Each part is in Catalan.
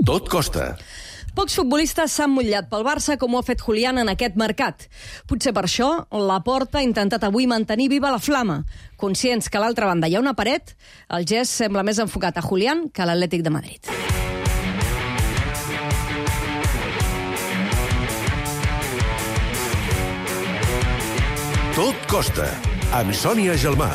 Tot costa. Pocs futbolistes s'han mullat pel Barça com ho ha fet Julián en aquest mercat. Potser per això Laporta ha intentat avui mantenir viva la flama. Conscients que a l'altra banda hi ha una paret, el gest sembla més enfocat a Julián que a l'Atlètic de Madrid. Tot costa, amb Sònia Gelmà.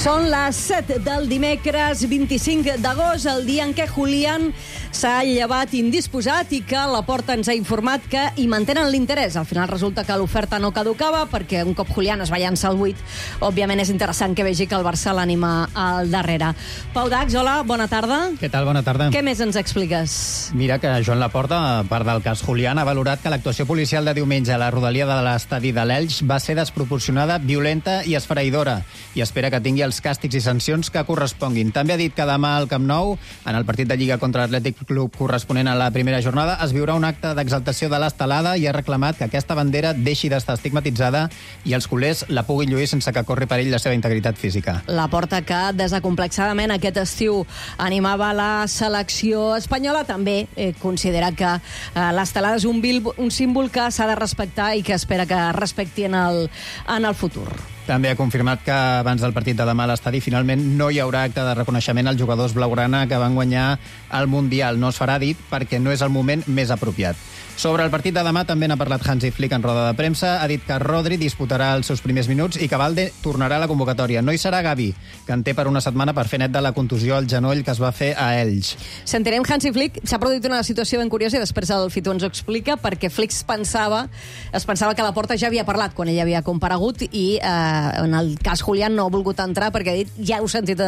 Són les 7 del dimecres 25 d'agost, el dia en què Julián s'ha llevat indisposat i que Laporta ens ha informat que hi mantenen l'interès. Al final resulta que l'oferta no caducava perquè un cop Julián es va llançar al 8, òbviament és interessant que vegi que el Barça l'anima al darrere. Pau Dax, hola, bona tarda. Què tal, bona tarda. Què més ens expliques? Mira que Joan Laporta, a part del cas Julián, ha valorat que l'actuació policial de diumenge a la rodalia de l'estadi de l'Elx va ser desproporcionada, violenta i esfereïdora, i espera que tingui els càstigs i sancions que corresponguin. També ha dit que demà al Camp Nou, en el partit de Lliga contra l'Atlètic Club corresponent a la primera jornada, es viurà un acte d'exaltació de l'estelada i ha reclamat que aquesta bandera deixi d'estar estigmatitzada i els culers la puguin lluir sense que corri perill la seva integritat física. Laporta, que desacomplexadament aquest estiu animava la selecció espanyola, també considera que l'estelada és un símbol que s'ha de respectar i que espera que respecti en el futur. També ha confirmat que abans del partit de demà a l'estadi finalment no hi haurà acte de reconeixement als jugadors blaugrana que van guanyar el Mundial. No es farà, dit, perquè no és el moment més apropiat. Sobre el partit de demà també n'ha parlat Hansi Flick en roda de premsa. Ha dit que Rodri disputarà els seus primers minuts i que Valde tornarà a la convocatòria. No hi serà Gavi, que en té per una setmana per fer net de la contusió al genoll que es va fer a Elx. Sentirem Hansi Flick. S'ha produït una situació ben curiosa i després el Fito ens ho explica, perquè Flick es pensava que Laporta ja havia parlat quan ell havia comparegut i en el cas Julián no ha volgut entrar perquè ha dit, ja heu sentit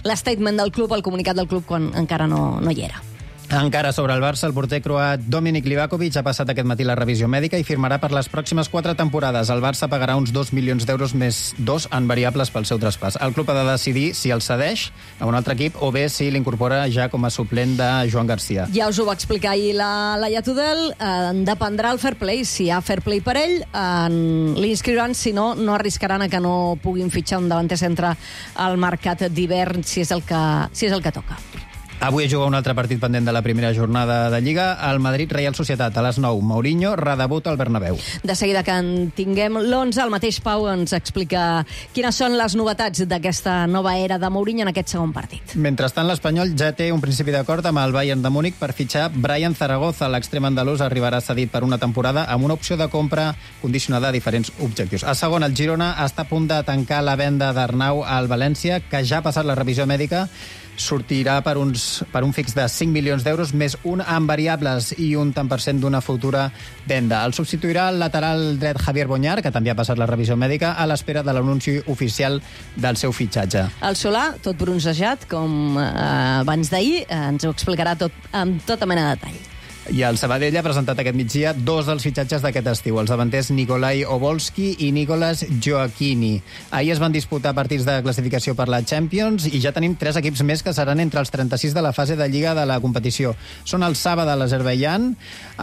l'statement del club, el comunicat del club, quan encara no hi era. Encara sobre el Barça, el porter croat Dominik Livakovic ha passat aquest matí la revisió mèdica i firmarà per les pròximes 4 temporades. El Barça pagarà uns 2 milions d'euros més 2 en variables pel seu traspàs. El club ha de decidir si el cedeix a un altre equip o bé si l'incorpora ja com a suplent de Joan Garcia. Ja us ho va explicar ahir la Laia Tudel. Dependrà el fair play. Si hi ha fair play per ell, l'inscriuran. Si no, no arriscaran a que no puguin fitxar un davanter centre al mercat d'hivern, si és el que toca. Avui es juga un altre partit pendent de la primera jornada de Lliga, el Madrid-Reial Societat, a les 9. Mourinho redebut al Bernabéu. De seguida que en tinguem l'11, el mateix Pau ens explica quines són les novetats d'aquesta nova era de Mourinho en aquest segon partit. Mentrestant, l'Espanyol ja té un principi d'acord amb el Bayern de Múnich per fitxar Brian Zaragoza. L'extrem andalús arribarà cedit per una temporada amb una opció de compra condicionada a diferents objectius. A segon, el Girona està a punt de tancar la venda d'Arnau al València, que ja ha passat la revisió mèdica. Sortirà per un fix de 5 milions d'euros més un en variables i un tant per cent d'una futura venda. El substituirà el lateral dret Javier Boñar, que també ha passat la revisió mèdica, a l'espera de l'anunci oficial del seu fitxatge. El Solà, tot bronzejat, com abans d'ahir, ens ho explicarà tot amb tota mena de detall. I el Sabadell ha presentat aquest migdia 2 dels fitxatges d'aquest estiu, els davanters Nikolai Obolski i Nicolas Gioacchini. Ahir es van disputar partits de classificació per la Champions i ja tenim 3 equips més que seran entre els 36 de la fase de Lliga de la competició. Són el Saba de l'Azerbaidjan,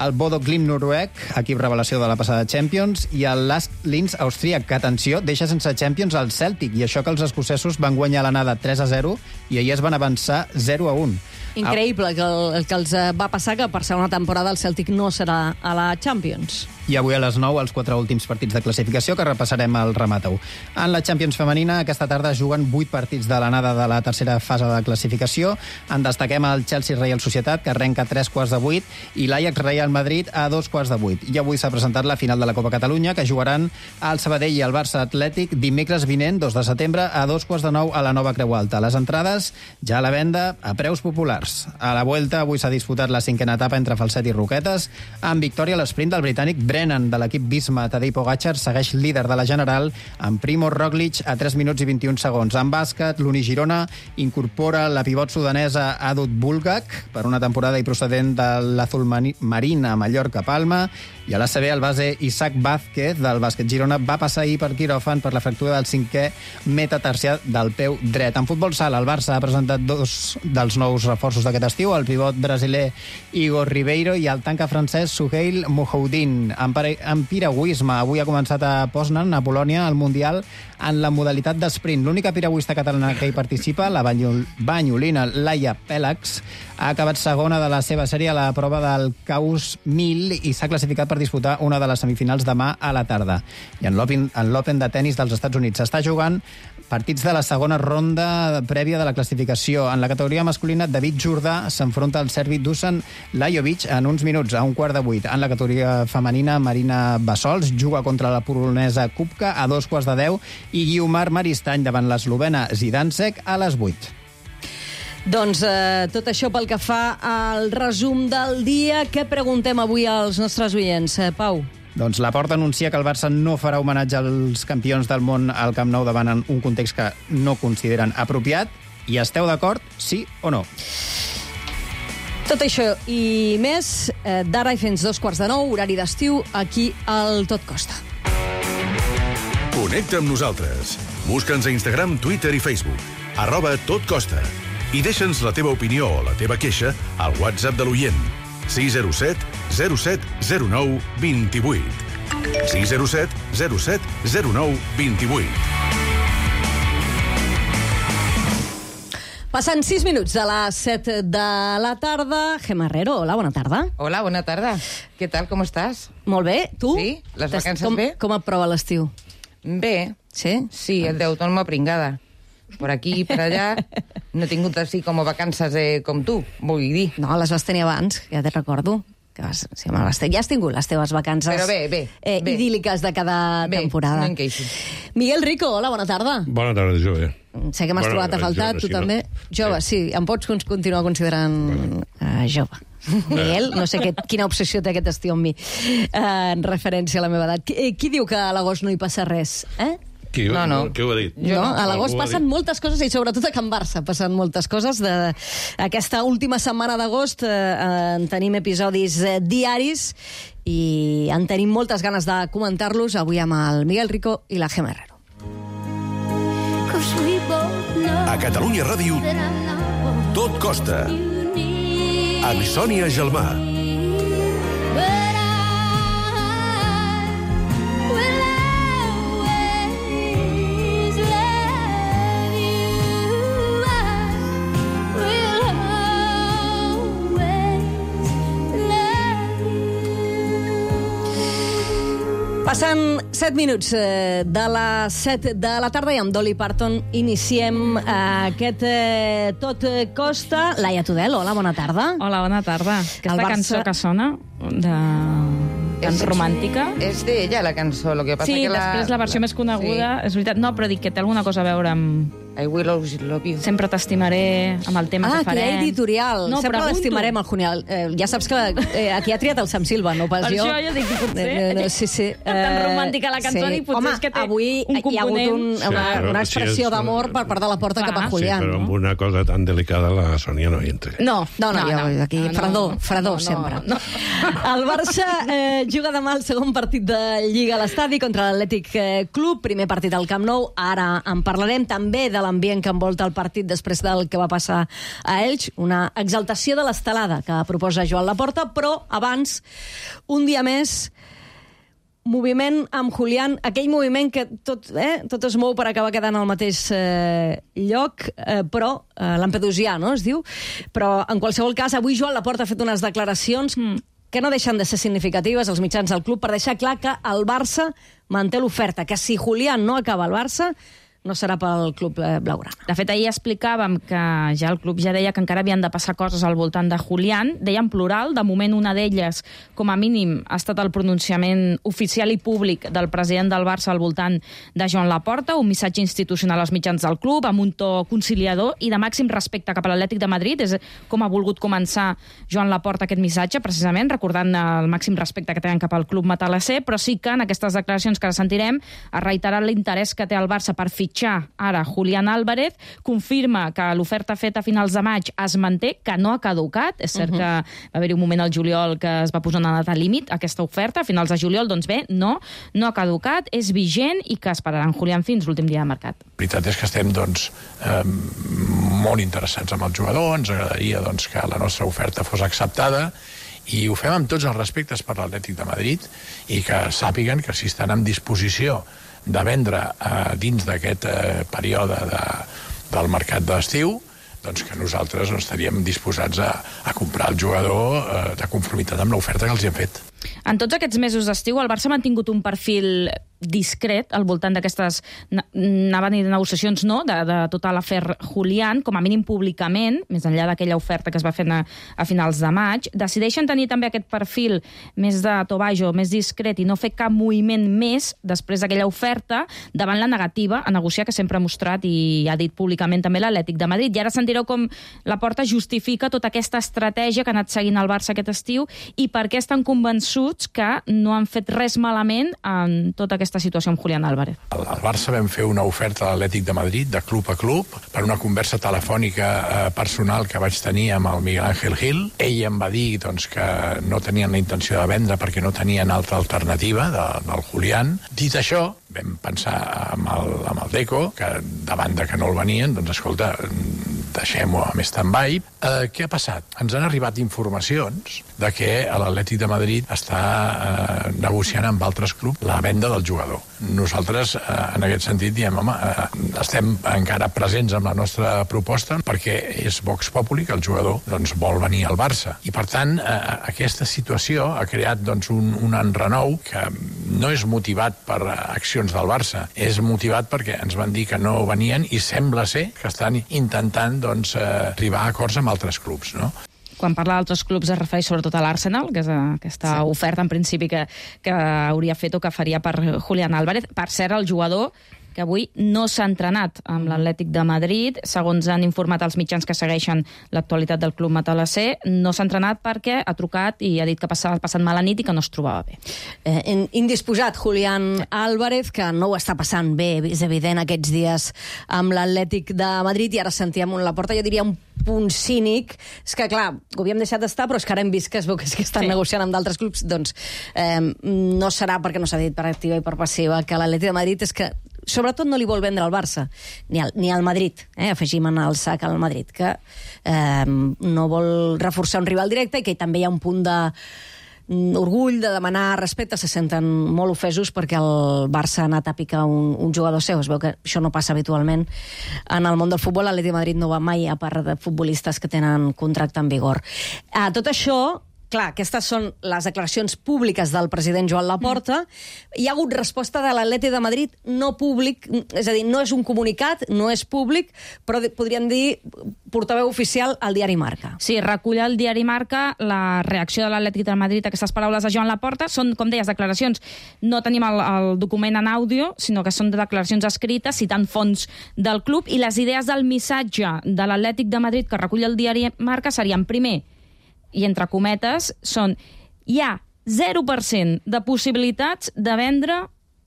el Bodo Glimt noruec, equip revelació de la passada Champions, i el Lask Linz austríac, que, atenció, deixa sense Champions el Celtic, i això que els escocesos van guanyar l'anada 3-0 i ahir es van avançar 0-1. Increïble el que els va passar, que per segona temporada el Celtic no serà a la Champions. I avui a les 9 els 4 últims partits de classificació que repassarem al Rematau. En la Champions femenina aquesta tarda es juguen 8 partits de l'anada de la tercera fase de classificació. En destaquem el Chelsea Real Societat, que arrenca a 7:45, i l'Ajax Real Madrid a 2:45. I avui s'ha presentat la final de la Copa Catalunya, que jugaran el Sabadell i el Barça Atlètic dimecres vinent, 2 de setembre, a 2:45 a la Nova Creu Alta. Les entrades ja a la venda a preus populars. A la Vuelta avui s'ha disputat la 5a etapa entre Falset i Roquetes, amb victòria a l'esprint del britànic Brennan de l'equip Visma. Tadej Pogačar segueix líder de la general amb Primož Roglič a 3 minuts i 21 segons. En bàsquet, l'Uni Girona incorpora la pivot sudanesa Adut Bulgak per una temporada i procedent de l'Azul Marina a Mallorca Palma, i a l'ACB el base Isaac Vázquez del bàsquet Girona va passar ahir per quiròfan per la fractura del 5è metatarsià del peu dret. En futbol sala, el Barça ha presentat 2 dels nous reforços d'aquest estiu, el pivot brasiler Igor Ribeiro i el tanca francès Souheil Mohoudin. En piragüisme, avui ha començat a Poznan, a Polònia, el Mundial en la modalitat d'esprint. L'única piragüista catalana que hi participa, la banyolina Laia Pèlax, ha acabat segona de la seva sèrie a la prova del Caus 1000 i s'ha classificat per disputar una de les semifinals demà a la tarda. I en l'Open de tennis dels Estats Units s'està jugant partits de la segona ronda prèvia de la classificació. En la categoria masculina, David Jordà s'enfronta al serbi Dusan Lajovic en uns minuts, a 7:15. En la categoria femenina, Marina Bassols juga contra la polonesa Kupka a 2:10 i Guiomar Maristany davant l'eslovena Zidansek a les 8. Doncs tot això pel que fa al resum del dia. Què preguntem avui als nostres oients, Pau? Doncs Laporta anuncia que el Barça no farà homenatge als campions del món al Camp Nou davant un context que no consideren apropiat. I esteu d'acord, sí o no? Tot això i més d'ara i fins 9:15, horari d'estiu, aquí al Tot Costa. Connecta amb nosaltres. Busca'ns a Instagram, Twitter i Facebook. @totcosta. I deixa'ns la teva opinió o la teva queixa al WhatsApp de l'oient. 607 07 09 28. 607 07 09 28. Passant 6 minuts de les 7 de la tarda. Gemma Herrero, hola, bona tarda. Hola, bona tarda. Què tal, com estàs? Molt bé, tu? Sí, les vacances bé? Com et prova l'estiu? Bé. Sí? Sí, el de autònoma pringada. Per aquí i per allà no he tingut així com vacances com tu, vull dir. No, les vas tenir abans, ja te recordo. Que vas, sí, ja has tingut les teves vacances però bé. idíl·liques de cada temporada. No em queixo. Miguel Rico, hola, bona tarda. Bona tarda, jove. Sé que m'has trobat a faltar, tu també. Jove, sí, em pots continuar considerant jove. Miguel, no sé quina obsessió té aquest estiu amb mi, en referència a la meva edat. Qui diu que a l'agost no hi passa res, Qui ho ha dit? No, a l'agost passen moltes coses i sobretot a Can Barça passen moltes coses. Aquesta última setmana d'agost en tenim episodis diaris i en tenim moltes ganes de comentar-los avui amb el Miguel Rico i la Gemma Herrero. A Catalunya Ràdio, Tot Costa. Amb Sònia Gelmà. Passant 7 minuts de les 7 de la tarda i amb Dolly Parton iniciem aquest Tot Costa. Laia Tudel, hola, bona tarda. Hola, bona tarda. Aquesta cançó que sona tan romàntica. És d'ella, la cançó. Lo que passa sí, que després la versió més coneguda, és veritat. No, però dic que té alguna cosa a veure amb... I will always love you. Sempre t'estimaré amb el tema que farem. Que hi ha editorial. No, sempre l'estimarem, el Junial. Ja saps que aquí ha triat el Sam Silva, no pas jo. Per això jo dic que potser... Sí. Tan romàntica la cançó i potser és que té avui un component... Hi ha hagut una expressió d'amor per part de la Porta cap a Julián. Sí, però amb una cosa tan delicada la Sònia no hi entra. No, aquí fredor sempre. El Barça juga demà el segon partit de Lliga a l'estadi contra l'Atlètic Club, primer partit al Camp Nou. Ara en parlarem també de l'ambient que envolta el partit després del que va passar a Elx, una exaltació de l'estelada que proposa Joan Laporta, però abans, un dia més, moviment amb Julián, aquell moviment que tot es mou per acabar quedant al mateix lloc, però lampedusià, no, es diu? Però, en qualsevol cas, avui Joan Laporta ha fet unes declaracions que no deixen de ser significatives als mitjans del club per deixar clar que el Barça manté l'oferta, que si Julián no acaba al Barça no serà pel club blaugrana. De fet, ahir explicàvem que ja el club ja deia que encara havien de passar coses al voltant de Julián. Deia en plural, de moment una d'elles, com a mínim, ha estat el pronunciament oficial i públic del president del Barça al voltant de Joan Laporta, un missatge institucional als mitjans del club, amb un to conciliador i de màxim respecte cap a l'Atlètic de Madrid. És com ha volgut començar Joan Laporta aquest missatge, precisament, recordant el màxim respecte que tenen cap al club matalasser, però sí que en aquestes declaracions que ara sentirem ha reiterat l'interès que té el Barça per fitxar ara Julián Álvarez, confirma que l'oferta feta a finals de maig es manté, que no ha caducat. És cert que va haver-hi un moment al juliol que es va posar una data límit, aquesta oferta, a finals de juliol, doncs bé, no ha caducat, és vigent i que esperaran Julián fins l'últim dia de mercat. La veritat és que estem molt interessats amb el jugador, ens agradaria que la nostra oferta fos acceptada I ho fem amb tots els respectes per l'Atlètic de Madrid i que sàpiguen que si estan en disposició de vendre dins d'aquest període del mercat d'estiu, doncs que nosaltres estaríem disposats a comprar el jugador de conformitat amb l'oferta que els hi hem fet. En tots aquests mesos d'estiu, el Barça ha mantingut un perfil discret al voltant d'aquestes negociacions, no?, de tota l'afer Julián, com a mínim públicament, més enllà d'aquella oferta que es va fer a finals de maig. Decideixen tenir també aquest perfil més de tobajo, més discret, i no fer cap moviment més després d'aquella oferta davant la negativa a negociar que sempre ha mostrat i ha dit públicament també l'Atlètic de Madrid. I ara sentireu com Laporta justifica tota aquesta estratègia que ha anat seguint el Barça aquest estiu i per què estan convençuts que no han fet res malament en tota aquesta situació amb Julián Álvarez. Al Barça vam fer una oferta a l'Atlètic de Madrid, de club a club, per una conversa telefònica personal que vaig tenir amb el Miguel Ángel Gil. Ell em va dir doncs, que no tenien la intenció de vendre perquè no tenien altra alternativa del Julián. Dit això, vam pensar amb el Deco, que davant de que no el venien, doncs escolta, deixem-ho amb stand-by. Què ha passat? Ens han arribat informacions de que l'Atlètic de Madrid està negociant amb altres clubs la venda del jugador. Nosaltres, en aquest sentit, diem, home, estem encara presents amb la nostra proposta perquè és Vox Populi que el jugador doncs, vol venir al Barça. I, per tant, aquesta situació ha creat doncs, un enrenou que no és motivat per accions del Barça, és motivat perquè ens van dir que no venien i sembla ser que estan intentant doncs, arribar a acords amb altres clubs, no? Quan parla d'altres clubs es refereix sobretot a l'Arsenal, que és aquesta oferta en principi que hauria fet o que faria per Julián Álvarez. Per cert, el jugador que avui no s'ha entrenat amb l'Atlètic de Madrid, segons han informat els mitjans que segueixen l'actualitat del club matalasser, no s'ha entrenat perquè ha trucat i ha dit que ha passat mala nit i que no es trobava bé. Indisposat, Julián Álvarez, que no ho està passant bé, és evident, aquests dies amb l'Atlètic de Madrid, i ara sentíem un Laporta, jo diria un punt cínic, és que clar, ho havíem deixat d'estar, però és que ara hem vist que es veu que estan negociant amb d'altres clubs, doncs no serà perquè no s'ha dit per activa i per passiva que l'Atlètic de Madrid és que sobretot no li vol vendre al Barça, ni al Madrid, afegim en el sac al Madrid, que no vol reforçar un rival directe i que també hi ha un punt d'orgull, de demanar respecte, se senten molt ofesos perquè el Barça ha anat a picar un jugador seu. Es veu que això no passa habitualment en el món del futbol. L'Atlètic de Madrid no va mai a part de futbolistes que tenen contracte en vigor. Tot això, clar, aquestes són les declaracions públiques del president Joan Laporta. Hi ha hagut resposta de l'Atlètic de Madrid no públic, és a dir, no és un comunicat, no és públic, però podríem dir portaveu oficial al diari Marca. Sí, recull el diari Marca la reacció de l'Atlètic de Madrid a aquestes paraules de Joan Laporta. Són, com deies, declaracions. No tenim el document en àudio, sinó que són declaracions escrites, citant fonts del club, i les idees del missatge de l'Atlètic de Madrid que recull el diari Marca serien, primer, i entre cometes, hi ha 0% de possibilitats de vendre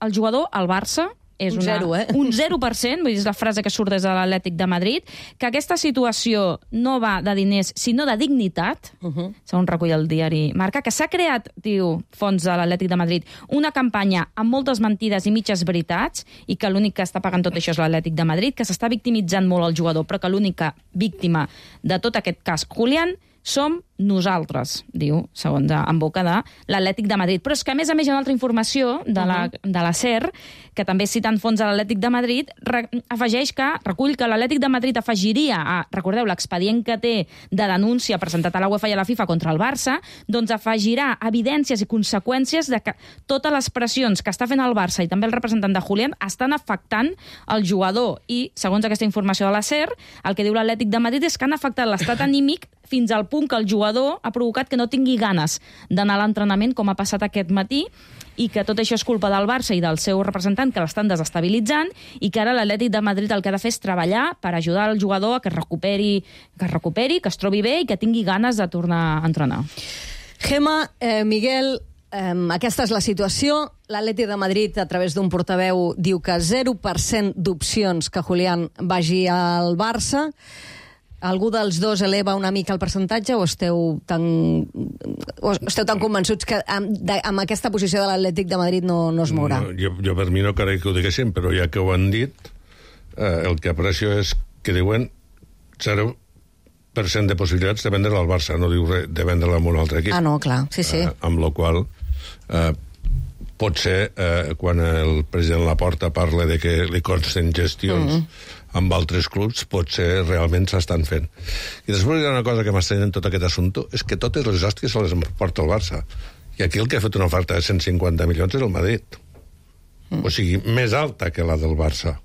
el jugador al Barça. És un 0%, Un 0%, vull dir, és la frase que surt des de l'Atlètic de Madrid, que aquesta situació no va de diners, sinó de dignitat, segons recull el diari Marca, que s'ha creat, diu fonts de l'Atlètic de Madrid, una campanya amb moltes mentides i mitges veritats, i que l'únic que està pagant tot això és l'Atlètic de Madrid, que s'està victimitzant molt el jugador, però que l'única víctima de tot aquest cas, Julián, som nosaltres, diu, segons en boca de l'Atlètic de Madrid. Però és que, a més, hi ha una altra informació de la SER, que també citant fons de l'Atlètic de Madrid, afegeix que, recull que l'Atlètic de Madrid afegiria a, recordeu, l'expedient que té de denúncia presentat a la UEFA i a la FIFA contra el Barça, doncs afegirà evidències i conseqüències de que totes les pressions que està fent el Barça i també el representant de Julián estan afectant el jugador. I, segons aquesta informació de la SER, el que diu l'Atlètic de Madrid és que han afectat l'estat anímic fins al punt que el jugador ha provocat que no tingui ganes d'anar a l'entrenament, com ha passat aquest matí, i que tot això és culpa del Barça i del seu representant, que l'estan desestabilitzant, i que ara l'Atlètic de Madrid el que ha de fer és treballar per ajudar el jugador a que es recuperi, que es trobi bé i que tingui ganes de tornar a entrenar. Gemma, Miguel, aquesta és la situació. L'Atlètic de Madrid, a través d'un portaveu, diu que 0% d'opcions que Julián vagi al Barça. Algú dels dos eleva una mica el percentatge o esteu tan convençuts que amb aquesta posició de l'Atlètic de Madrid no es mourà? Jo per mi no crec que ho diguessin, però ja que ho han dit, el que aprecio és que diuen 0% de possibilitats de vendre-la al Barça, no diu res de vendre-la a un altre equip. Ah, no, clar, sí. Amb la qual potser quan el president Laporta parla de que li consten gestions amb altres clubs, potser realment s'estan fent. I després hi ha una cosa que m'estranya en tot aquest assumpte, és que totes les hòsties se les emporta el Barça. I aquí el que ha fet una oferta de 150 milions és el Madrid. O sigui, més alta que la del Barça,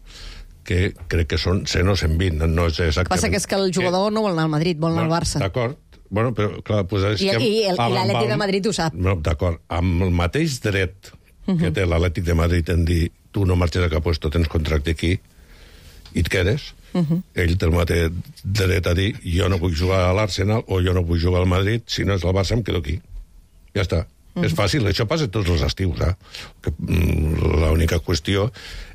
que crec que són 100 o 120, no és exactament... Passa que és que el jugador no vol anar al Madrid, vol anar al Barça. D'acord, bueno, però clar, pues és que... I l'Atlètic de Madrid ho sap. No, d'acord, amb el mateix dret que té l'Atlètic de Madrid en dir tu no marxes a cap puesto, tens contracte aquí i et quedes, ell té el mateix dret a dir jo no puc jugar a l'Arsenal o jo no puc jugar al Madrid, si no és el Barça em quedo aquí. Ja està. És fàcil, això passa tots els estius, l'única qüestió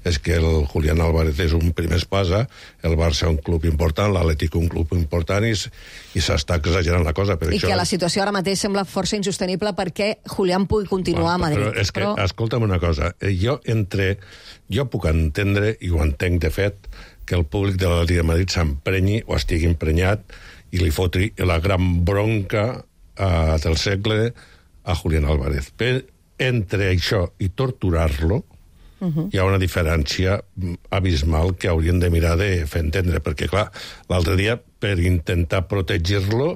és que el Julián Álvarez és un primer espasa, el Barça un club important, l'Atlètic un club important i s'està exagerant la cosa. I que la situació ara mateix sembla força insostenible perquè Julián pugui continuar a Madrid. Però és que, escolta'm una cosa, jo puc entendre, i ho entenc de fet, que el públic de l'Atlètic de Madrid s'emprenyi o estigui emprenyat i li fotri la gran bronca del segle a Julián Álvarez. Però entre això i torturar-lo hi ha una diferència abismal que haurien de mirar de fer entendre, perquè, clar, l'altre dia, per intentar protegir-lo,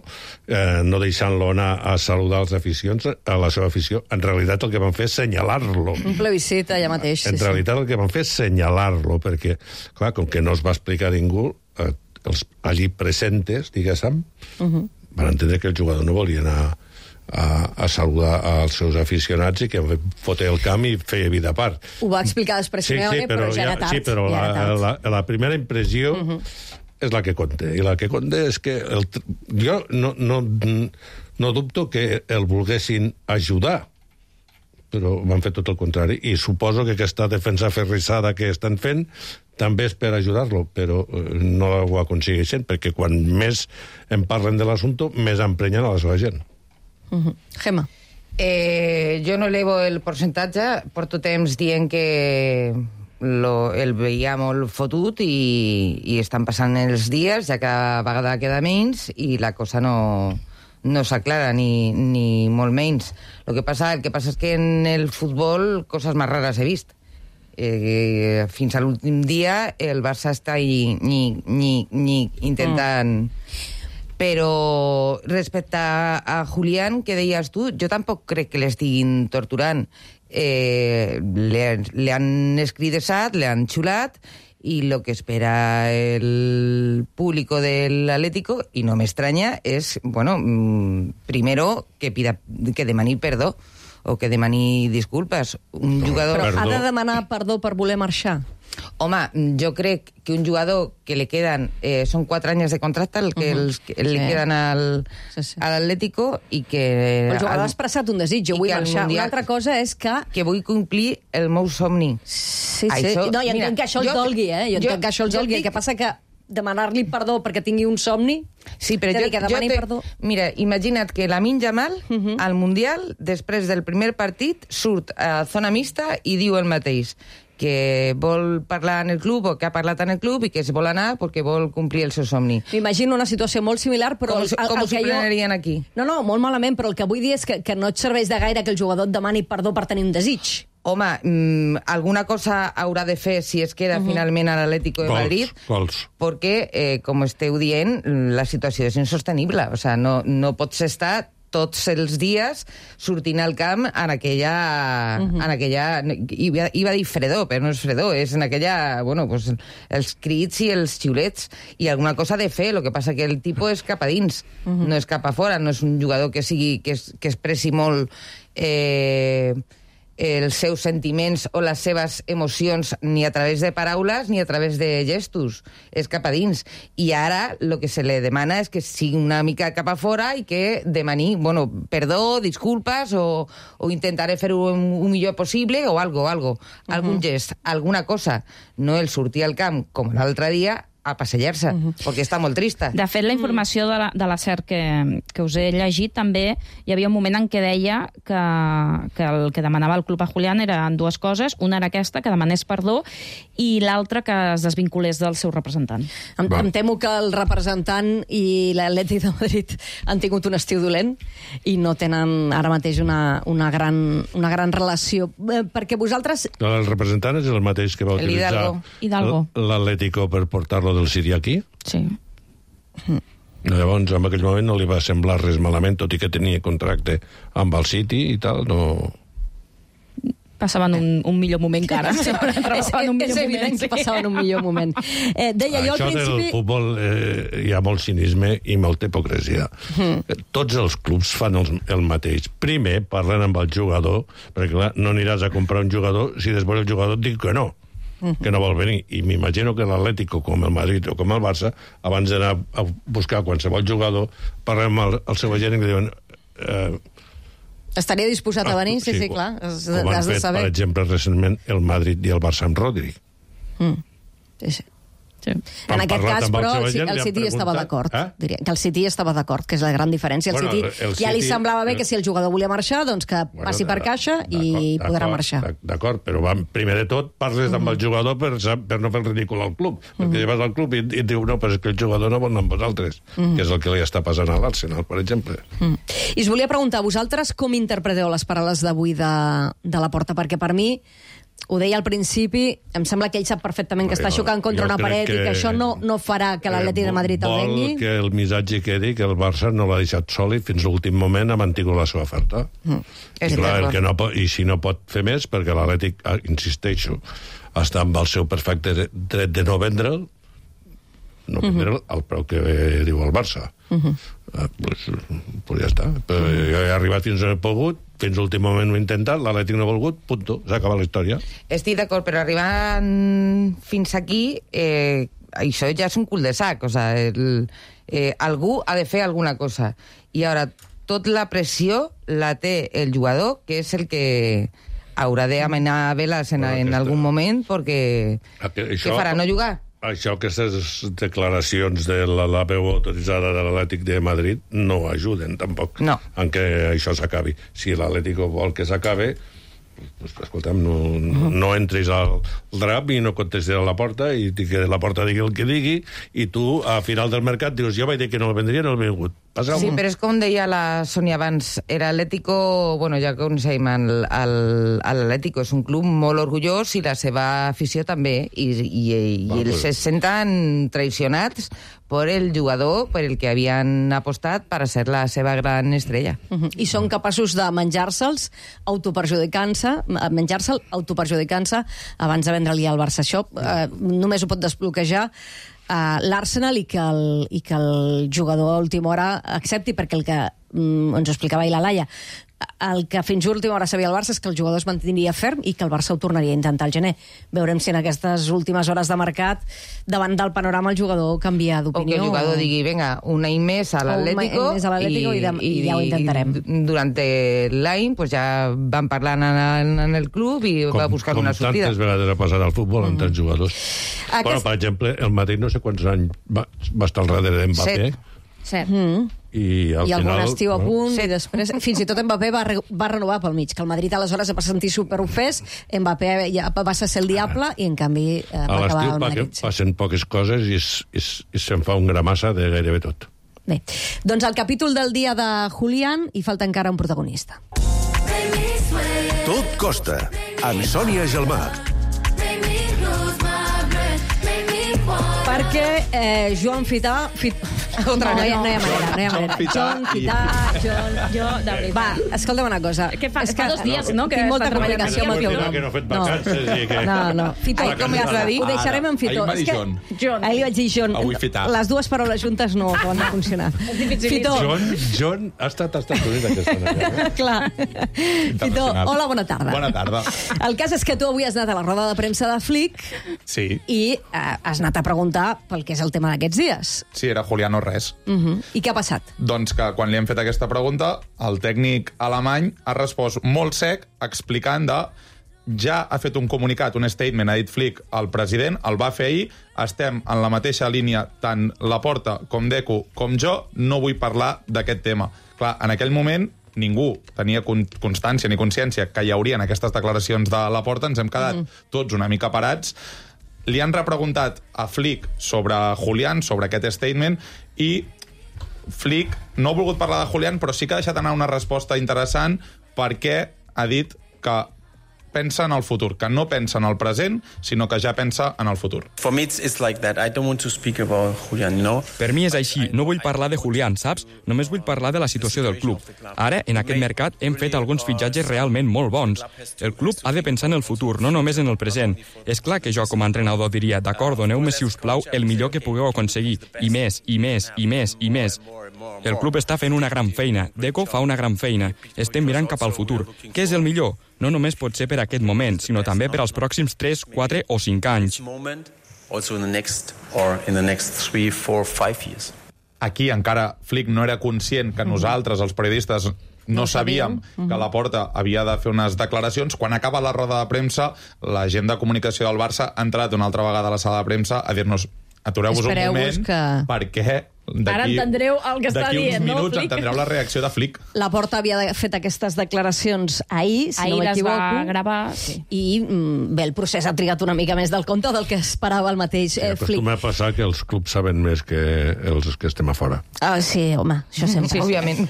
no deixant-lo anar a saludar els aficions, a la seva afició, en realitat el que van fer és senyalar-lo. Un plebiscit allà mateix. En realitat el que van fer és senyalar-lo, perquè, clar, com que no es va explicar a ningú, els allí presentes, diguéssim, van entendre que el jugador no volia anar a saludar als seus aficionats i que foté el camp i feia vida a part. Ho va explicar després Simeone, però ja era tard. Sí, però la primera impressió és la que compta. I la que compta és que jo no dubto que el volguessin ajudar, però van fer tot el contrari. I suposo que aquesta defensa aferrissada que estan fent també és per ajudar-lo, però no ho aconsegueixen, perquè quan més en parlen de l'assumpte, més emprenyen a la seva gent. Gemma. Jo no elevo el percentatge, porto temps dient que el veia molt fotut i estan passant els dies, ja cada vegada queda menys i la cosa no s'aclara, ni molt menys. El que passa és que en el futbol coses més rares he vist. Fins a l'últim dia el Barça està intentant... Però respecte a Julián, que deies tu, jo tampoc crec que l'estiguin torturant. Le han escridessat, le han xulat, i el que espera el público del Atlético, i no m'estranya, és, bueno, primero que demani perdó, o que demani disculpes. Un jugador... Però ha de demanar perdó per voler marxar? Home, jo crec que un jugador que li queden... són 4 anys de contracte el que li queden a l'Atlético i que... El jugador ha expressat un desig, jo vull marxar. Una altra cosa és que... Que vull complir el meu somni. Sí. No, i entenc que això el dolgui, Jo entenc que això el dolgui. El que passa que demanar-li perdó perquè tingui un somni... Sí, però mira, imagina't que Lamine Yamal, al Mundial, després del primer partit, surt a zona mixta i diu el mateix, que vol parlar en el club o que ha parlat en el club i que es vol anar perquè vol complir el seu somni. M'imagino una situació molt similar, però... Com s'ho prenarien aquí? No, molt malament, però el que vull dir és que no et serveix de gaire que el jugador et demani perdó per tenir un desig. Home, alguna cosa haurà de fer si es queda finalment a l'Atlético de Madrid, perquè, com esteu dient, la situació és insostenible. O sigui, no pots estar tots els dies sortint al camp en aquella... Iba a dir fredor, però no és fredor, és en aquella... Bueno, pues, els crits i els xiulets, i alguna cosa de fer. El que passa que el tipus és cap a dins, no és cap a fora, no és un jugador que expressi molt... els seus sentiments o les seves emocions ni a través de paraules ni a través de gestos, és cap a dins. I ara el que se li demana és que sigui una mica cap a fora i que demani, bueno, perdó, disculpes o intentaré fer-ho el millor possible o algun gest, alguna cosa. No el sortir al camp com l'altre dia a passejar-se, perquè està molt trista. De fet, la informació de la SER que us he llegit, també hi havia un moment en què deia que el que demanava el club a Julián eren dues coses. Una era aquesta, que demanés perdó, i l'altra que es desvinculés del seu representant. Em temo que el representant i l'Atlètic de Madrid han tingut un estiu dolent i no tenen ara mateix una gran relació. Perquè vosaltres... El representant és el mateix que va utilitzar l'Atlético per portar-lo del City aquí? Sí. Llavors, en aquell moment no li va semblar res malament, tot i que tenia contracte amb el City i tal, no... Passaven un millor moment que ara. És evident que passaven un millor moment. Deia jo al principi... Això del futbol hi ha molt cinisme i molta hipocresia. Tots els clubs fan el mateix. Primer parlen amb el jugador, perquè clar, no aniràs a comprar un jugador si després el jugador et diu que no vol venir. I m'imagino que l'Atlético, com el Madrid o com el Barça, abans d'anar a buscar qualsevol jugador, parlem amb el seu agent i diuen... Estaria disposat a venir? Sí, clar. Com han fet, per exemple, recentment el Madrid i el Barça amb Rodri. Sí. En aquest cas, però, el City estava d'acord. Diria que el City estava d'acord, que és la gran diferència. El City ja li semblava bé que si el jugador volia marxar, doncs que passi per caixa i podrà marxar. D'acord, però primer de tot parles amb el jugador per no fer el ridícul al club. Perquè vas al club i et diu, no, però és que el jugador no vol anar amb vosaltres, que és el que li està passant a l'Arsenal, per exemple. I us volia preguntar, vosaltres com interpreteu les paraules d'avui de la Porta? Perquè per mi, ho deia al principi, em sembla que ell sap perfectament que està xocant contra una paret i que això no farà que l'Atlètic de Madrid el vengui. Vol que el missatge quedi que el Barça no l'ha deixat sol i fins a l'últim moment ha mantingut la seva oferta. I si no pot fer més, perquè l'Atlètic, insisteixo, està amb el seu perfecte dret de no vendre'l, al preu que diu el Barça. Pues ja està. He arribat fins on he pogut, fins a l'últim moment ho he intentat, l'Atlètic no ha volgut, punto, s'ha acabat la història. Estic d'acord, però arribant fins aquí, això ja és un cul de sac, o sigui, algú ha de fer alguna cosa. I ara, tota la pressió la té el jugador, que és el que haurà d'amenar veles en algun moment, perquè què farà, no jugar? Això, aquestes declaracions de la veu autoritzada de l'Atlètic de Madrid no ajuden, tampoc, en què això s'acabi. Si l'Atlético vol que s'acabe, pues, escolta'm, no entris al drap i no contestis a la Porta i que la Porta digui el que digui i tu, a final del mercat, dius, jo vaig dir que no el vendria, no el he vingut. Sí, però és com deia la Sònia abans, l'Atlético, bueno, ja coneixem, l'Atlético és un club molt orgullós i la seva afició també, i ells se senten traicionats per el jugador per el que havien apostat per a ser la seva gran estrella. I són capaços de menjar-se'ls autoperjudicant-se abans de vendre-li al Barça. Això només ho pot desbloquejar l'Arsenal i que el jugador a última hora accepti, perquè el que ens ho explicava ahir la Laia, el que fins a última hora sabia el Barça és que el jugador es mantindria ferm i que el Barça ho tornaria a intentar al gener. Veurem si en aquestes últimes hores de mercat, davant del panorama, el jugador canvia d'opinió. O que el jugador digui, venga, un any més a l'Atlético i ja ho intentarem. Durant l'any pues ja van parlant en el club i va buscar una sortida. Com tantes vegades ha passat al futbol amb tants jugadors. Bueno, per exemple, el Madrid no sé quants anys va estar al darrere d'Mbappé. 7. I algun estiu a punt, i després fins i tot Mbappé va renovar pel mig, que el Madrid aleshores es va sentir superofès, Mbappé ja va ser el diable i en canvi va acabar al Madrid. A l'estiu passen poques coses i se'n fa un gramassa de gairebé tot. Bé, doncs al capítol del dia de Julián hi falta encara un protagonista. Tot costa, amb Sònia Gelmà. Perquè Joan Fità... No hi ha manera. Joan Fità... Va, escolta'm una cosa. Què fa? Fa 2 dies, no? Tinc molta complicació amb el teu nom. Que no ha fet vacances i que... No. Fitó, com ja s'ha dit, ho deixarem en Fitó. Ahir m'ha dit John. Ahir li vaig dir John. Avui Fità. Les dues paraules juntes no acaben de funcionar. Fitó. John ha estat a Estats Units aquesta nit. Clar. Fitó, hola, bona tarda. Bona tarda. El cas és que tu avui has anat a la roda de premsa de Flick i has anat a preguntar pel que és el tema d'aquests dies. Sí, era Julián o res. I què ha passat? Doncs que quan li hem fet aquesta pregunta, el tècnic alemany ha respost molt sec explicant ja ha fet un comunicat, un statement, ha dit Flick al president, el va fer ahir, estem en la mateixa línia, tant Laporta com Deco com jo, no vull parlar d'aquest tema. Clar, en aquell moment ningú tenia constància ni consciència que hi haurien aquestes declaracions de Laporta, ens hem quedat tots una mica parats. Li han repreguntat a Flick sobre Julián, sobre aquest statement, i Flick no ha volgut parlar de Julián, però sí que ha deixat anar una resposta interessant perquè ha dit que pensa en el futur, que no pensa en el present, sinó que ja pensa en el futur. For me it's like that. I don't want to speak about Julián, you know? Per mi és així, no vull parlar de Julián, saps? Només vull parlar de la situació del club. Ara, en aquest mercat, hem fet alguns fitxatges realment molt bons. El club ha de pensar en el futur, no només en el present. És clar que jo, com a entrenador, diria, d'acord, doneu-me, si us plau, el millor que pugueu aconseguir, i més, i més, i més, i més. El club està fent una gran feina, Deco fa una gran feina, estem mirant cap al futur. Què és el millor? No només pot ser per aquest moment, sinó també per als pròxims 3, 4 o 5 anys. Aquí encara Flick no era conscient que nosaltres, els periodistes, no sabíem que Laporta havia de fer unes declaracions. Quan acaba la roda de premsa, la gent de comunicació del Barça ha entrat una altra vegada a la sala de premsa a dir-nos atureu-vos un moment, perquè ara entendreu el que està dient, d'aquí uns no, minuts Flick? entendreu la reacció de Flick. Laporta havia fet aquestes declaracions ahir, si no m'equivoco. Ahir les va gravar, sí. I bé, el procés ha trigat una mica més del compte del que esperava el mateix Flick. Acostuma a passar que els clubs saben més que els que estem a fora. Sí, home, això sempre. Sí, òbviament.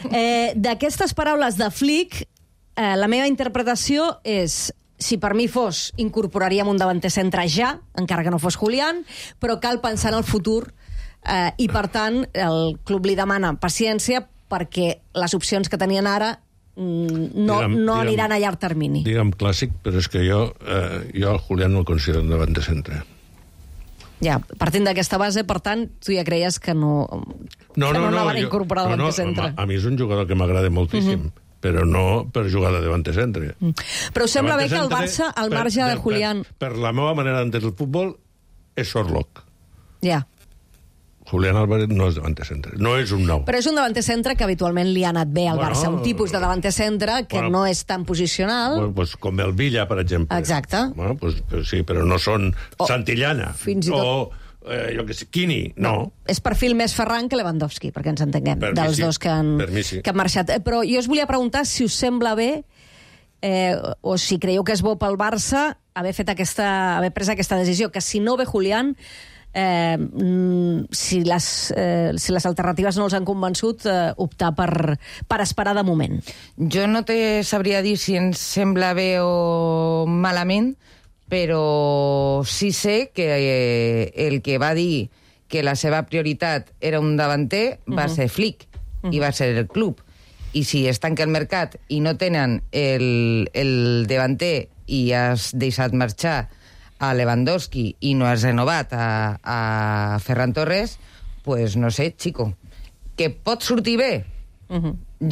D'aquestes paraules de Flick, la meva interpretació és: si per mi fos, incorporaríem un davanter centre ja, encara que no fos Julián, però cal pensar en el futur i, per tant, el club li demana paciència perquè les opcions que tenien ara no aniran a llarg termini. Digue'm clàssic, però és que jo el Julián no el considero un davanter centre. Ja, partint d'aquesta base, per tant, tu ja creies que no van incorporar davanter centre. A mi és un jugador que m'agrada moltíssim. Però no per jugar de davanter centre. Però sembla bé que el Barça, al marge de Julián... Per la meva manera d'entendre el futbol, és Sorlock. Ja. Julián Álvarez no és davanter centre. No és un nou. Però és un davanter centre que habitualment li ha anat bé al Barça. Un tipus de davanter centre que no és tan posicional. Pues com el Villa, per exemple. Exacte. Bueno, pues sí, però no són Santillana. Fins i tot... jo que sé, Quini, no. És perfil més Ferran que Lewandowski, perquè ens entenguem, dels dos que han marxat. Però jo us volia preguntar si us sembla bé o si creieu que és bo pel Barça haver pres aquesta decisió, que si no ve Julián, si les alternatives no els han convençut, optar per esperar de moment. Jo no te sabria dir si ens sembla bé o malament, però sí sé que el que va dir que la seva prioritat era un davanter va ser Flick i va ser el club. I si es tanca el mercat i no tenen el davanter i has deixat marxar a Lewandowski i no has renovat a Ferran Torres, pues no sé, chico. Que pot sortir bé?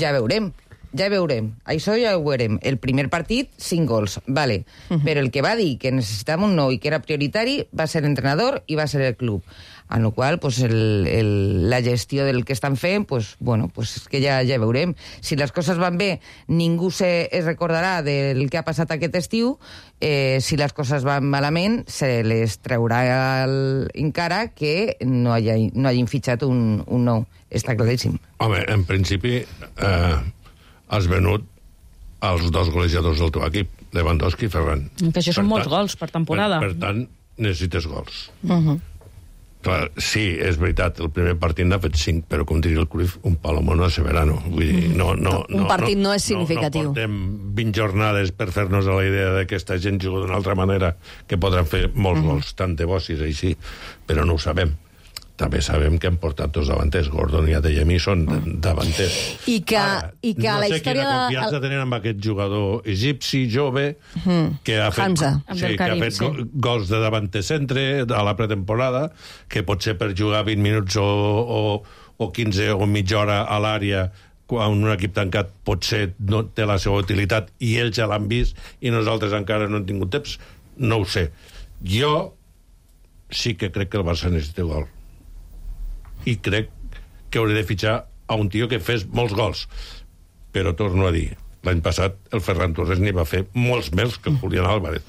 Ja veurem. Ja veurem, això ja ho veurem. El primer partit, 5 gols, vale. Però el que va dir que necessitàvem un nou i que era prioritari va ser l'entrenador i va ser el club. En la qual pues, la gestió del que estan fent, pues, bueno, pues és que ja veurem. Si les coses van bé, ningú es recordarà del que ha passat aquest estiu. Si les coses van malament, se les traurà encara que no hagin fitxat un nou. Està claríssim. Home, en principi... has venut els 2 golejadors del teu equip, Lewandowski i Ferran. Que això són molts gols per temporada. Per tant, necessites gols. Clar, sí, és veritat, el primer partit n'ha fet 5, però com diria el Cruyff, un palomono a Severano. Vull dir, un partit no és significatiu. No portem 20 jornades per fer-nos a la idea de que aquesta gent juga d'una altra manera, que podran fer molts gols, tant de bo si és així, però no ho sabem. També sabem que han portat 2 davanters. Gordon i Adeyemi són davanters. I que la història... No sé quina confiança tenen amb aquest jugador egipci, jove, que ha fet, gols de davanter centre a la pretemporada, que potser per jugar 20 minuts o 15 o mitja hora a l'àrea quan un equip tancat potser no té la seva utilitat i ells ja l'han vist i nosaltres encara no hem tingut temps. No ho sé. Jo sí que crec que el Barça necessita gol. I crec que hauré de fitxar a un tio que fes molts gols. Però torno a dir, L'any passat el Ferran Torres n'hi va fer molts més que el Julián Álvarez.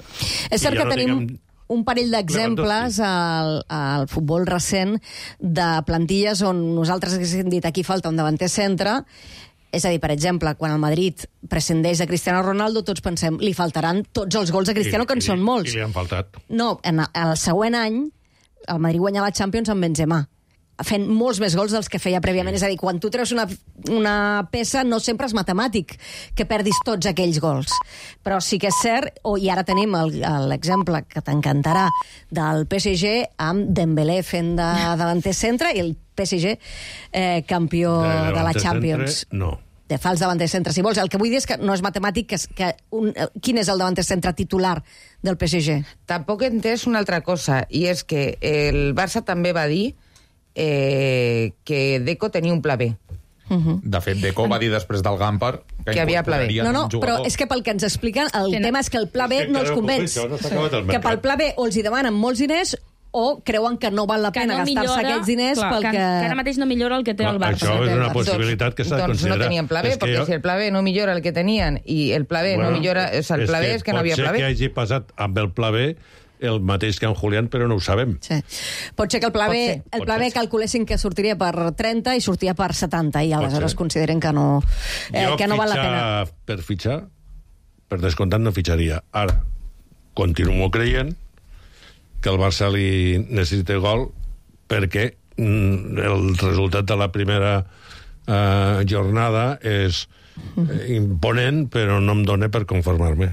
És cert que tenim un parell d'exemples al futbol recent de plantilles on nosaltres haguéssim dit aquí falta un davanter centre. És a dir, per exemple, quan el Madrid prescindeix de Cristiano Ronaldo, tots pensem, li faltaran tots els gols a Cristiano, que en són molts. I li han faltat. No, el següent any, el Madrid guanya la Champions amb Benzema, fent molts més gols dels que feia prèviament. És a dir, quan tu treus una peça, no sempre és matemàtic que perdis tots aquells gols. Però sí que és cert, i ara tenim l'exemple que t'encantarà del PSG amb Dembélé fent de davanter centre i el PSG campió de la Champions. No. De fals davanter centre, si vols. El que vull dir és que no és matemàtic quin és el davanter centre titular del PSG. Tampoc he entès una altra cosa, i és que el Barça també va dir que Deco tenia un pla B. De fet, Deco va dir després del Gamper que havia pla B. No, però és que pel que ens expliquen, el tema és que el pla B no els convenç. Que pel pla B o els hi demanen molts diners o creuen que no val la pena gastar-se aquests diners que ara mateix no millora el que té el Barça. Això és una possibilitat que s'ha de considerar. Doncs no tenien pla B, perquè si el pla B no millora el que tenien i el pla B no millora... O sigui, el pla B és que no havia pla B. Pot ser que hagi passat amb el pla B el mateix que en Julián, però no ho sabem. Sí. Pot ser que el pla B calculessin que sortiria per 30 i sortia per 70, i aleshores consideren que no val la pena. Per fitxar, per descomptat no fitxaria. Ara, continuo creient que el Barça li necessita gol perquè el resultat de la primera jornada és imponent, però no em dona per conformar-me.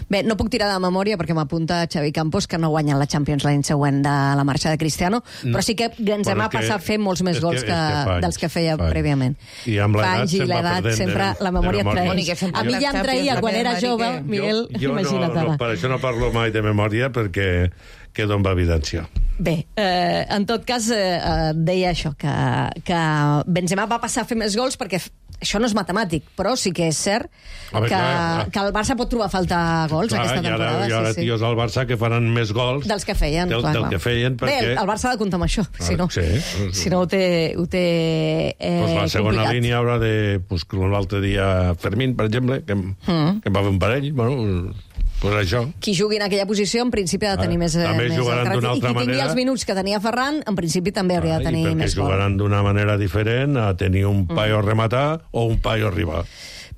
Bé, no puc tirar de memòria perquè m'apunta Xavi Campos que no guanyen la Champions l'any següent de la marxa de Cristiano, però sí que Benzema passa a fer molts més gols dels que feia prèviament. I amb l'edat sempre la memòria et traeix. A mi ja em traïa quan era jove, Miguel, imagina't ara. Per això no parlo mai de memòria, perquè quedo amb evidència. Bé, en tot cas, deia això, que Benzema va passar a fer més gols perquè això no és matemàtic, però sí que és cert que el Barça pot trobar a faltar gols aquesta temporada. Hi haurà tios al Barça que faran més gols dels que feien. Del que feien, perquè... Bé, el Barça ha de comptar amb això, si no ho té la segona línia haurà de... L'altre dia Fermín, per exemple, que em va fer un parell, pues això. Qui jugui en aquella posició, en principi, ha de tenir més... També jugaran d'una altra manera. I qui tingui els minuts que tenia Ferran, en principi també hauria de tenir més gol. Perquè jugaran d'una manera diferent a tenir un paio a rematar o un paio a arribar.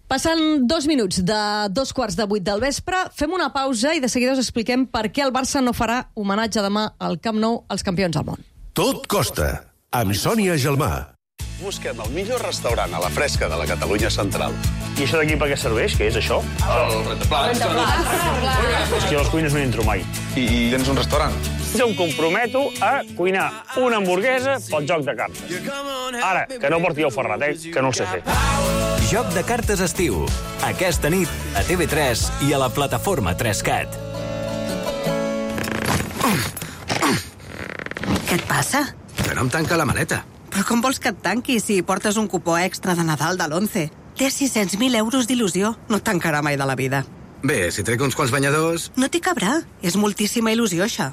Passen 2 minuts de 2:15 del vespre, fem una pausa i de seguida us expliquem per què el Barça no farà homenatge demà al Camp Nou als campions del món. Tot costa, amb Sònia Gelmà. Busquem el millor restaurant a la fresca de la Catalunya central. I això d'aquí per què serveix? Què és això? El rentaplats. És que a les cuines no hi entro mai. I tens un restaurant? Jo em comprometo a cuinar una hamburguesa pel joc de cartes. Ara, que no porti el Ferrat, que no el sé fer. Joc de cartes estiu. Aquesta nit a TV3 i a la plataforma 3Cat. Què et passa? Que no em tanca la maleta. Però com vols que et tanqui si portes un cupó extra de Nadal de l'11? Té 600.000 euros d'il·lusió. No et tancarà mai de la vida. Bé, si trec uns quants banyadors... No t'hi cabrà. És moltíssima il·lusió, això.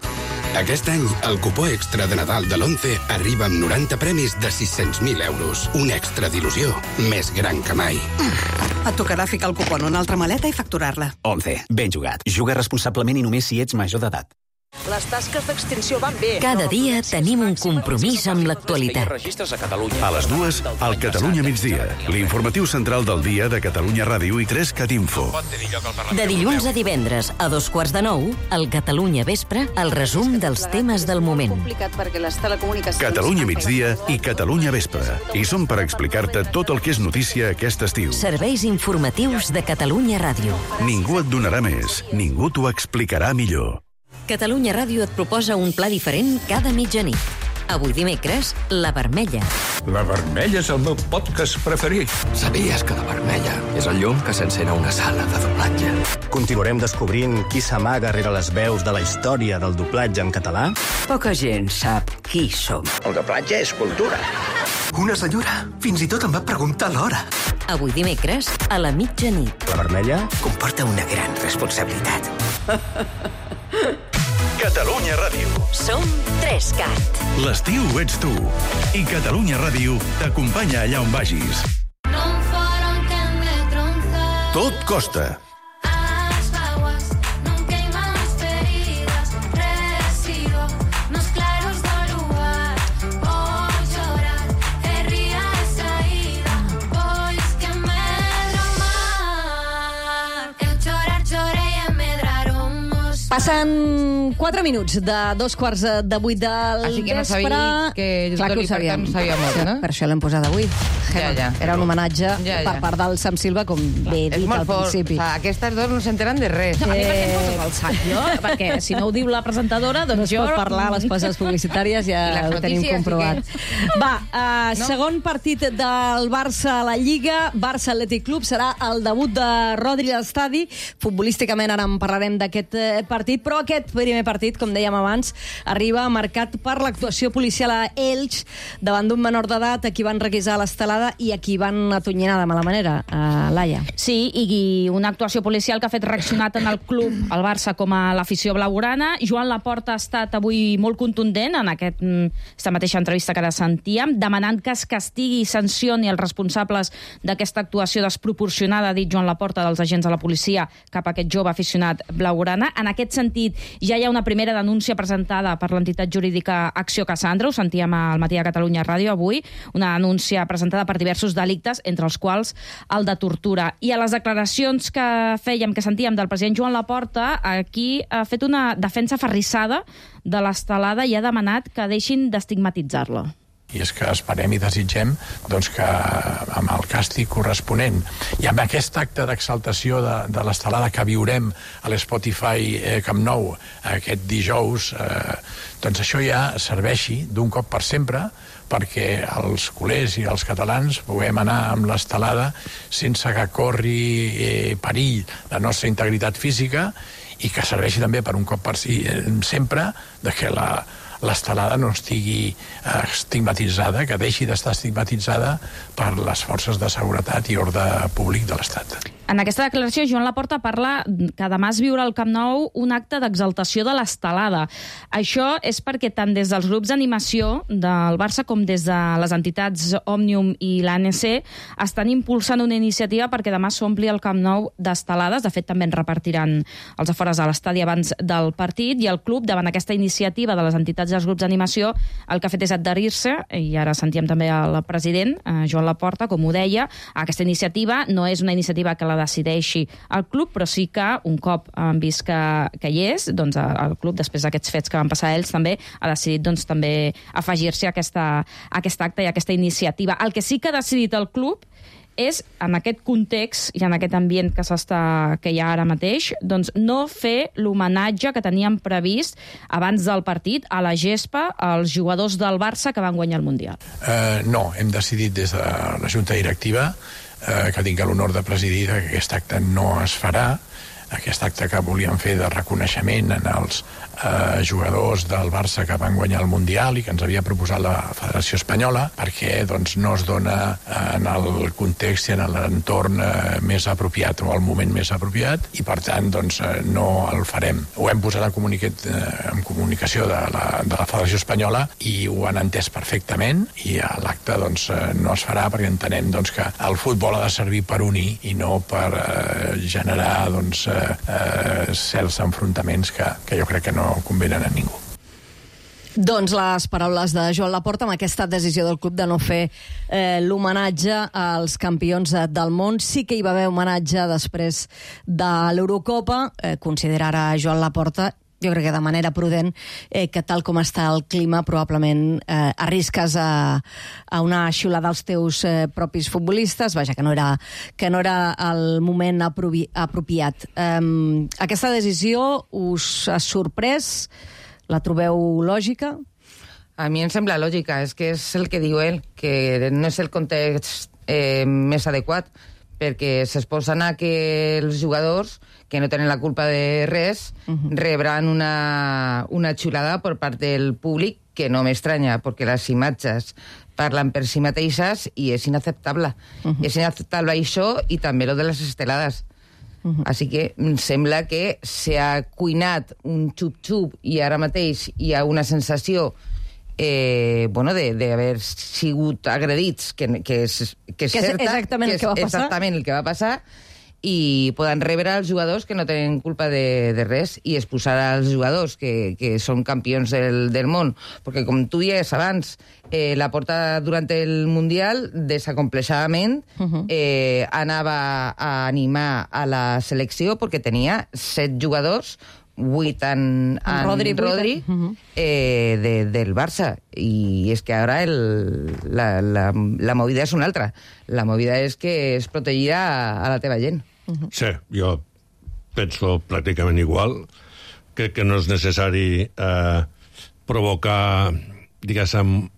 Aquest any, el cupó extra de Nadal de l'11 arriba amb 90 premis de 600.000 euros. Un extra d'il·lusió més gran que mai. Et tocarà ficar el cupó en una altra maleta i facturar-la. 11. Ben jugat. Juga responsablement i només si ets major d'edat. Les tasques d'extinció van bé. Cada dia tenim un compromís amb l'actualitat. A les 2, al Catalunya migdia. L'informatiu central del dia de Catalunya Ràdio i 3Cat Info. De dilluns a divendres, a 8:45, al Catalunya Vespre, el resum dels temes del moment. Catalunya migdia i Catalunya Vespre. I som per explicar-te tot el que és notícia aquest estiu. Serveis informatius de Catalunya Ràdio. Ningú et donarà més, ningú t'ho explicarà millor. Catalunya Ràdio et proposa un pla diferent cada mitjanit. Avui dimecres, La Vermella. La Vermella és el meu podcast preferit. Sabies que La Vermella és el llum que s'encén a una sala de doblatge? Continuarem descobrint qui s'amaga rere les veus de la història del doblatge en català? Poca gent sap qui som. El doblatge és cultura. Una senyora fins i tot em va preguntar l'hora. Avui dimecres, a la mitjanit. La Vermella comporta una gran responsabilitat. Catalunya Ràdio. Som 3Cat. L'estiu ets tu. I Catalunya Ràdio t'acompanya allà on vagis. Non farán que me tronza Tot costa. Passen 4 minuts de 2:15 de 8 del Així que no vespre. sabia que Clar que ho sabíem. no sabia molt, no? Per això l'hem posat avui. Ja. Era un homenatge per part del Sam Silva, com bé he dit al principi. Aquestes dos no s'enteren de res. A mi per què em poses al sac, jo? Perquè si no ho diu la presentadora, doncs no jo... No es pot parlar a les pauses publicitàries, ja ho tenim comprovat. Va, segon partit del Barça a la Lliga, Barça Atlètic Club, serà el debut de Rodri a l'estadi. Futbolísticament ara en parlarem d'aquest partit, però aquest primer partit, com dèiem abans, arriba marcat per l'actuació policial a Elx davant d'un menor d'edat a qui van requisar l'estelada i a qui van atonyinar de mala manera, Laia. Sí, i una actuació policial que ha fet reaccionar tant el club, el Barça, com a l'afició blaugrana. Joan Laporta ha estat avui molt contundent en aquesta mateixa entrevista que ara sentíem, demanant que es castigui i sancioni els responsables d'aquesta actuació desproporcionada, ha dit Joan Laporta, dels agents de la policia cap a aquest jove aficionat blaugrana. En aquest sentit, ja hi ha una primera denúncia presentada per l'entitat jurídica Acció Cassandra, ho sentíem al Matí de Catalunya Ràdio avui, una denúncia presentada per diversos delictes, entre els quals el de tortura. I a les declaracions que fèiem, que sentíem del president Joan Laporta, aquí ha fet una defensa aferrissada de l'estelada i ha demanat que deixin d'estigmatitzar-la. I és que esperem i desitgem doncs, que amb el càstig corresponent i amb aquest acte d'exaltació de l'estelada que viurem a l'Spotify Camp Nou aquest dijous, doncs això ja serveixi d'un cop per sempre perquè els culers i els catalans puguem anar amb l'estelada sense que corri perill la nostra integritat física i que serveixi també per un cop per sempre de que l'estelada no estigui estigmatitzada, que deixi d'estar estigmatitzada per les forces de seguretat i ordre públic de l'Estat. En aquesta declaració, Joan Laporta parla que demà es viurà al Camp Nou un acte d'exaltació de l'estelada. Això és perquè tant des dels grups d'animació del Barça com des de les entitats Òmnium i l'ANC estan impulsant una iniciativa perquè demà s'ompli el Camp Nou d'estelades. De fet, també en repartiran els afores a l'estadi abans del partit, i el club, davant aquesta iniciativa de les entitats i els grups d'animació, el que ha fet és adherir-se, i ara sentíem també el president, Joan Laporta, com ho deia. Aquesta iniciativa no és una iniciativa que la decideixi el club, però sí que un cop han vist que hi és, doncs el club, després d'aquests fets que van passar ells, també ha decidit doncs, també afegir-se a aquest acte i a aquesta iniciativa. El que sí que ha decidit el club és, en aquest context i en aquest ambient que hi ha ara mateix, doncs no fer l'homenatge que teníem previst abans del partit a la gespa als jugadors del Barça que van guanyar el Mundial. No, hem decidit des de la Junta Directiva que tinc l'honor de presidir que aquest acte no es farà, aquest acte que volíem fer de reconeixement en els jugadors del Barça que van guanyar el Mundial i que ens havia proposat la Federació Espanyola, perquè doncs, no es dona en el context i en l'entorn més apropiat o el moment més apropiat, i per tant doncs, no el farem. Ho hem posat en comunicació de la Federació Espanyola i ho han entès perfectament, i l'acte doncs, no es farà perquè entenem doncs, que el futbol ha de servir per unir i no per generar doncs, certs enfrontaments que jo crec que no convenen a ningú. Doncs les paraules de Joan Laporta amb aquesta decisió del club de no fer l'homenatge als campions del món. Sí que hi va haver homenatge després de l'Eurocopa. Considera ara Joan Laporta, jo crec que de manera prudent, que tal com està el clima probablement arrisques a una xiulada als teus propis futbolistes. Vaja, que no era el moment apropiat. Aquesta decisió us ha sorprès? La trobeu lògica? A mi em sembla lògica, és que és el que diu ell, que no és el context més adequat, perquè s'exposen a que els jugadors, que no tenen la culpa de res, rebran una xulada per part del públic, que no m'estranya, perquè les imatges parlen per si mateixes i és inacceptable. És inacceptable això i també lo de les estelades. Així que em sembla que s'ha cuinat un xup-xup i ara mateix hi ha una sensació d'haver sigut agredits, que és cert, exactament el que va passar. Exactament el que va passar, i poden rebre els jugadors que no tenen culpa de res i expulsar als jugadors que són campions del món. Perquè, com tu dies abans, Laporta durant el Mundial, desacomplexadament, anava a animar a la selecció perquè tenia 7 jugadors, 8 en Rodri del Barça. I és que ara la movida és una altra. La movida és que es protegirà a la teva gent. Sí, jo penso pràcticament igual. Crec que no és necessari provocar, diguéssim,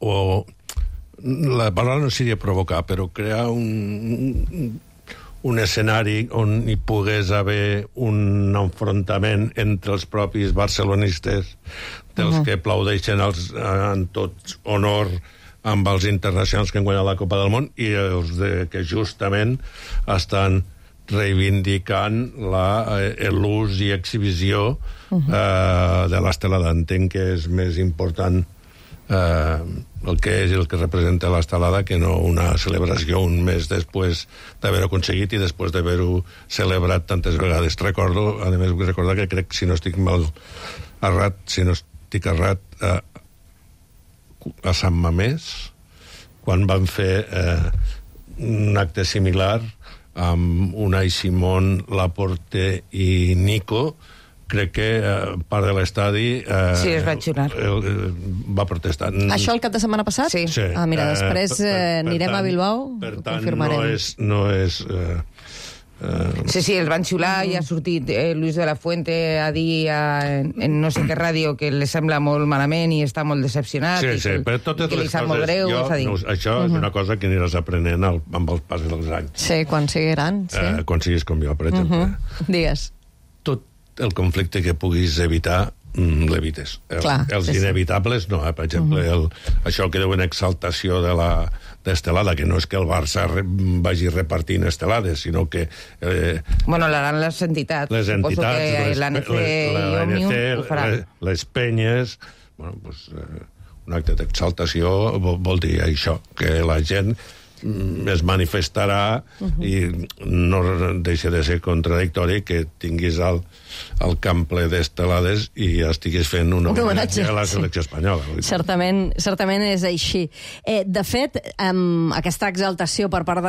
o la paraula no seria provocar, però crear un escenari on hi pogués haver un enfrontament entre els propis barcelonistes, dels que aplaudeixen en tot honor amb els internacionals que han guanyat la Copa del Món i els que justament estan reivindicant l'ús i exhibició de l'estelada. Entenc que és més important el que és el que representa l'estelada que no una celebració un mes després d'haver-ho aconseguit i després d'haver-ho celebrat tantes vegades. Recordo, a més, vull recordar que crec, si no estic errat, a Sant Mamés, quan van fer un acte similar amb Unai Simón, Laporte i Nico, crec que part de l'estadi sí, es va xiular. Va protestar. Això el cap de setmana passat? Sí. Mira, després anirem a Bilbao, ho confirmarem. No és Sí, els van xiular i ha sortit Luis de la Fuente a dir en no sé què ràdio que li sembla molt malament i està molt decepcionat però totes que li les sap molt greu. Això és una cosa que aniràs aprenent amb el pas dels anys. Sí, quan sigui gran. Quan siguis com jo, per exemple. Digues. Tot el conflicte que puguis evitar l'evites. Els inevitables no, per exemple, això que diuen exaltació d'estelada, que no és que el Barça vagi repartint estelades, sinó que l'aran les entitats. L'ANC, les penyes, un acte d'exaltació vol dir això, que la gent es manifestarà i no deixa de ser contradictori que tinguis el camp ple d'estelades i estiguis fent un homenatge a la selecció espanyola. Certament és així. De fet, aquesta exaltació per part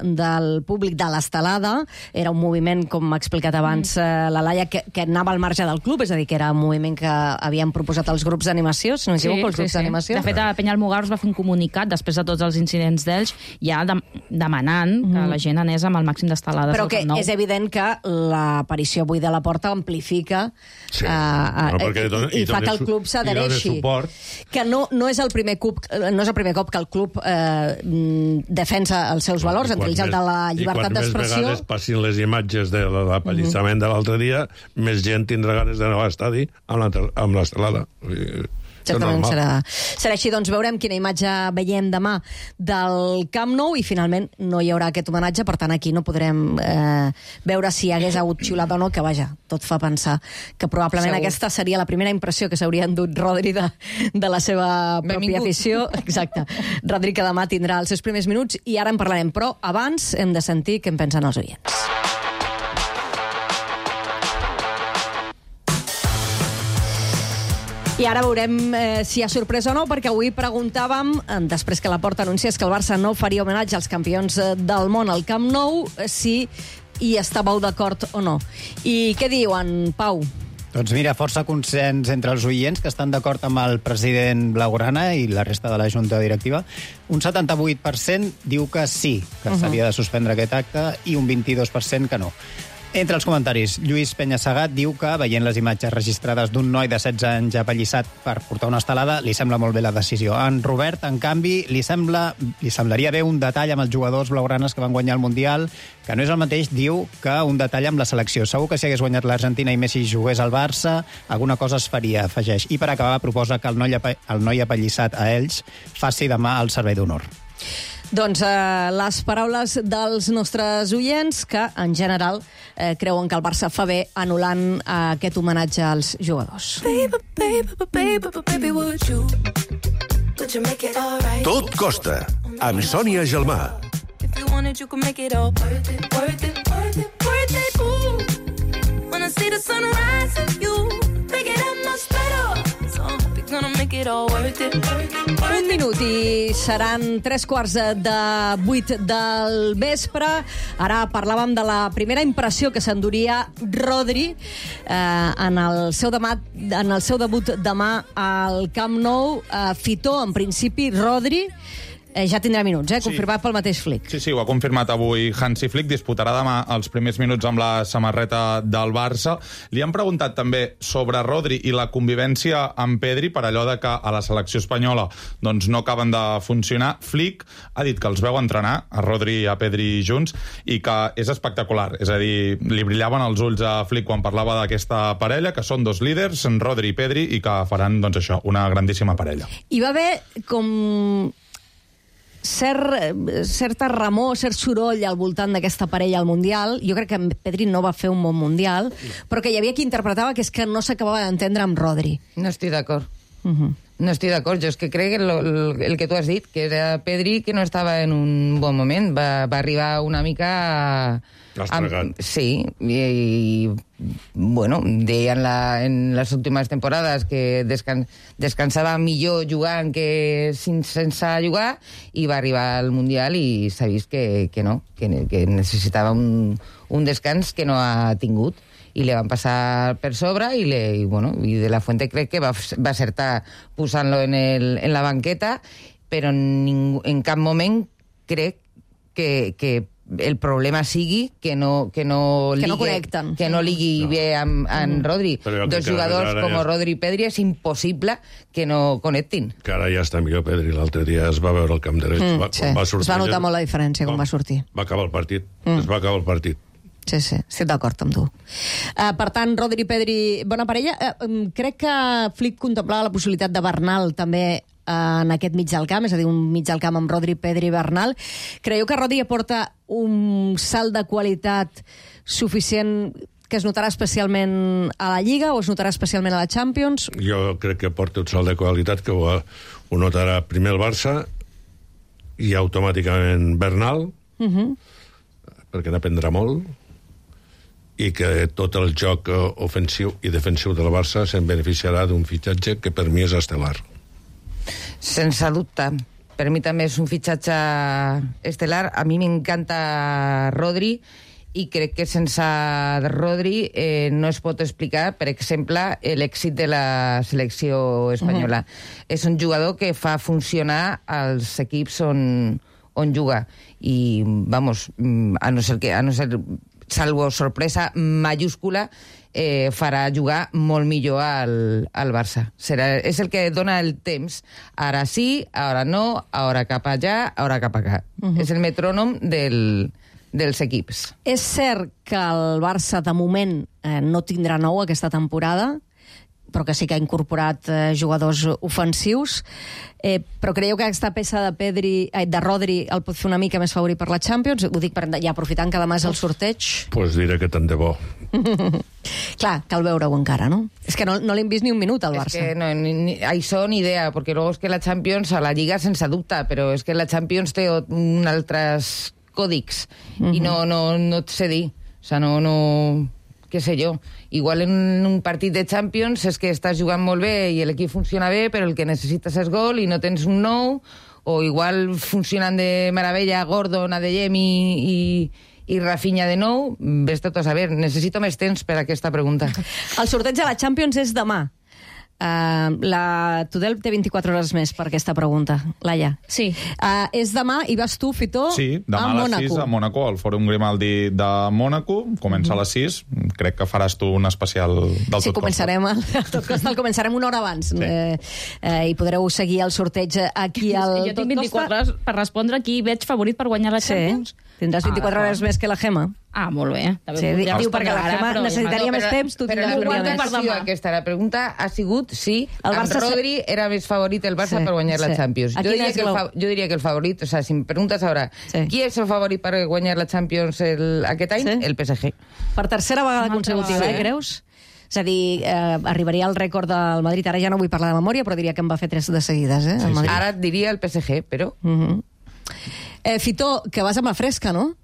del públic de l'estelada era un moviment, com ha explicat abans la Laia, que anava al marge del club, és a dir, que era un moviment que havien proposat els grups d'animació, si no m'equivoco, els grups d'animació. De fet, a Penyalmogars va fer un comunicat després de tots els incidents d'ells, ja demanant que la gent anés amb el màxim d'estelades. Però que és evident que l'aparició avui de la Porta amplifica i fa que el club s'adhereixi. Que no és el primer cop que el club defensa els seus valors, entre ells el de la llibertat d'expressió. I quan més vegades passin les imatges de l'apallissament de l'altre dia, més gent tindrà ganes d'anar a l'estadi amb l'estelada. Certament serà així. Doncs veurem quina imatge veiem demà del Camp Nou i finalment no hi haurà aquest homenatge, per tant aquí no podrem veure si hagués hagut xiulat o no, que vaja, tot fa pensar que probablement aquesta seria la primera impressió que s'hauria endut Rodri de la seva pròpia afició. Exacte. Rodri, que demà tindrà els seus primers minuts i ara en parlarem, però abans hem de sentir què en pensen els oients. I ara veurem si hi ha sorpresa o no, perquè avui preguntàvem, després que la Porta anunciés que el Barça no faria homenatge als campions del món al Camp Nou, si hi estàveu d'acord o no. I què diuen, Pau? Doncs mira, força consens entre els oients que estan d'acord amb el president Blaugrana i la resta de la Junta Directiva. Un 78% diu que sí, que s'havia de suspendre aquest acte, i un 22% que no. Entre els comentaris, Lluís Penyassegat diu que, veient les imatges registrades d'un noi de 16 anys apallissat per portar una estelada, li sembla molt bé la decisió. En Robert, en canvi, li semblaria bé un detall amb els jugadors blaugranes que van guanyar el Mundial, que no és el mateix, diu, que un detall amb la selecció. Segur que si hagués guanyat l'Argentina i Messi jugués al Barça, alguna cosa es faria, afegeix. I per acabar, proposa que el noi apallissat a ells faci demà el servei d'honor. Doncs les paraules dels nostres oients, que en general creuen que el Barça fa bé anul·lant aquest homenatge als jugadors. Tot costa, amb Sònia Gelmà. you wanted, you could make it all worth it, worth it, worth it, worth it. Ooh, when I see the sun rising, you make it up much better. So I hope you're gonna make it all worth it, worth it, worth it. Un minut i seran 7:45 del vespre. Ara parlàvem de la primera impressió que s'enduria Rodri en el seu debut demà al Camp Nou. Fitó, en principi, Rodri ja tindrà minuts, confirmat pel mateix Flick. Sí, ho ha confirmat avui Hansi Flick. Disputarà demà els primers minuts amb la samarreta del Barça. Li han preguntat també sobre Rodri i la convivència amb Pedri per allò de que a la selecció espanyola doncs no acaben de funcionar. Flick ha dit que els veu entrenar, a Rodri i a Pedri junts, i que és espectacular. És a dir, li brillaven els ulls a Flick quan parlava d'aquesta parella, que són dos líders, Rodri i Pedri, i que faran, doncs això, una grandíssima parella. Hi va haver com certa remor, cert soroll al voltant d'aquesta parella al Mundial. Jo crec que Pedri no va fer un bon Mundial, però que hi havia qui interpretava que és que no s'acabava d'entendre amb Rodri. No estic d'acord. No estic d'acord. Jo és que crec que el que tu has dit, que era Pedri que no estava en un bon moment. Va arribar una mica sí, i bueno, deien en les últimes temporades que descansava millor jugant que sense jugar, i va arribar al Mundial i s'ha vist que no, que necessitava un descans que no ha tingut, i li van passar per sobre, i De La Fuente crec que va acertar posant-lo en la banqueta, però en cap moment crec que el problema sigui que no connecten, que no ligui bé amb Rodri. Dos jugadors com Rodri i Pedri és impossible que no connectin. Que ara ja està millor Pedri. L'altre dia es va veure el camp dret. Es va notar molt la diferència quan va sortir. Va acabar el partit. Es va acabar el partit. Sí, estic d'acord amb tu. Per tant, Rodri i Pedri, bona parella. Crec que Flick contemplava la possibilitat de Bernal també en aquest mig del camp, és a dir, un mig del camp amb Rodri, Pedri i Bernal. Creieu que Rodri aporta un salt de qualitat suficient que es notarà especialment a la Lliga o es notarà especialment a la Champions? Jo crec que aporta un salt de qualitat que ho notarà primer el Barça i automàticament Bernal, perquè n'aprendrà molt, i que tot el joc ofensiu i defensiu del Barça se'n beneficiarà d'un fitxatge que per mi és estel·lar. Sense dubte. Per mi també és un fitxatge estel·lar. A mi m'encanta Rodri i crec que sense Rodri no es pot explicar, per exemple, l'èxit de la selecció espanyola. És un jugador que fa funcionar els equips on juga. I, vamos, a no ser salvo sorpresa mayúscula, farà jugar molt millor al Barça. És el que dona el temps. Ara sí, ara no, ara cap allà, ara cap acá. És el metrònom dels equips. És cert que el Barça, de moment, no tindrà nou aquesta temporada, però que sí que ha incorporat jugadors ofensius. Però creieu que aquesta peça de Rodri el pot fer una mica més favorit per la Champions? Ho dic ja aprofitant que demà és el sorteig. Pues diré que tant de bo. Clar, cal veure-ho encara, no? És que no l'hem vist ni un minut al Barça. És que això ni idea, perquè luego és que la Champions, a la Lliga sense dubte, però és que la Champions té altres còdics i no et sé dir. O sigui, no què sé jo, igual en un partit de Champions és que estàs jugant molt bé i l'equip funciona bé, però el que necessites és gol i no tens un nou, o igual funcionen de meravella Gordon, Adeyemi i Rafinha de nou. Ves tot a saber, necessito més temps per a aquesta pregunta. El sorteig de la Champions és demà. La Tudel té 24 hores més per aquesta pregunta. Laia. Sí. És demà i vas tu, Fitó, sí, demà a les 6 a Mònaco, al Fòrum Grimaldi de Mònaco. Comença a les 6. Crec que faràs tu un especial del Tot Costa. Començarem el començarem una hora abans. I podreu seguir el sorteig aquí al Tot Costa. Jo tinc 24 hores per respondre qui veig favorit per guanyar la Champions. Tindràs 24 hores més que la Gemma. Molt bé. Diu, perquè la Gemma necessitaria més temps, tu tindràs un dia més. La pregunta ha sigut si amb Rodri era més favorit el Barça per guanyar la Champions. Jo diria que el favorit, o sigui, si em preguntes ara, qui és el favorit per guanyar la Champions aquest any? El PSG. Per tercera vegada consecutiva, creus? És a dir, arribaria al rècord del Madrid. Ara ja no vull parlar de memòria, però diria que en va fer 3 de seguides. Ara et diria el PSG, però... Fitó, que vas amb la fresca, no?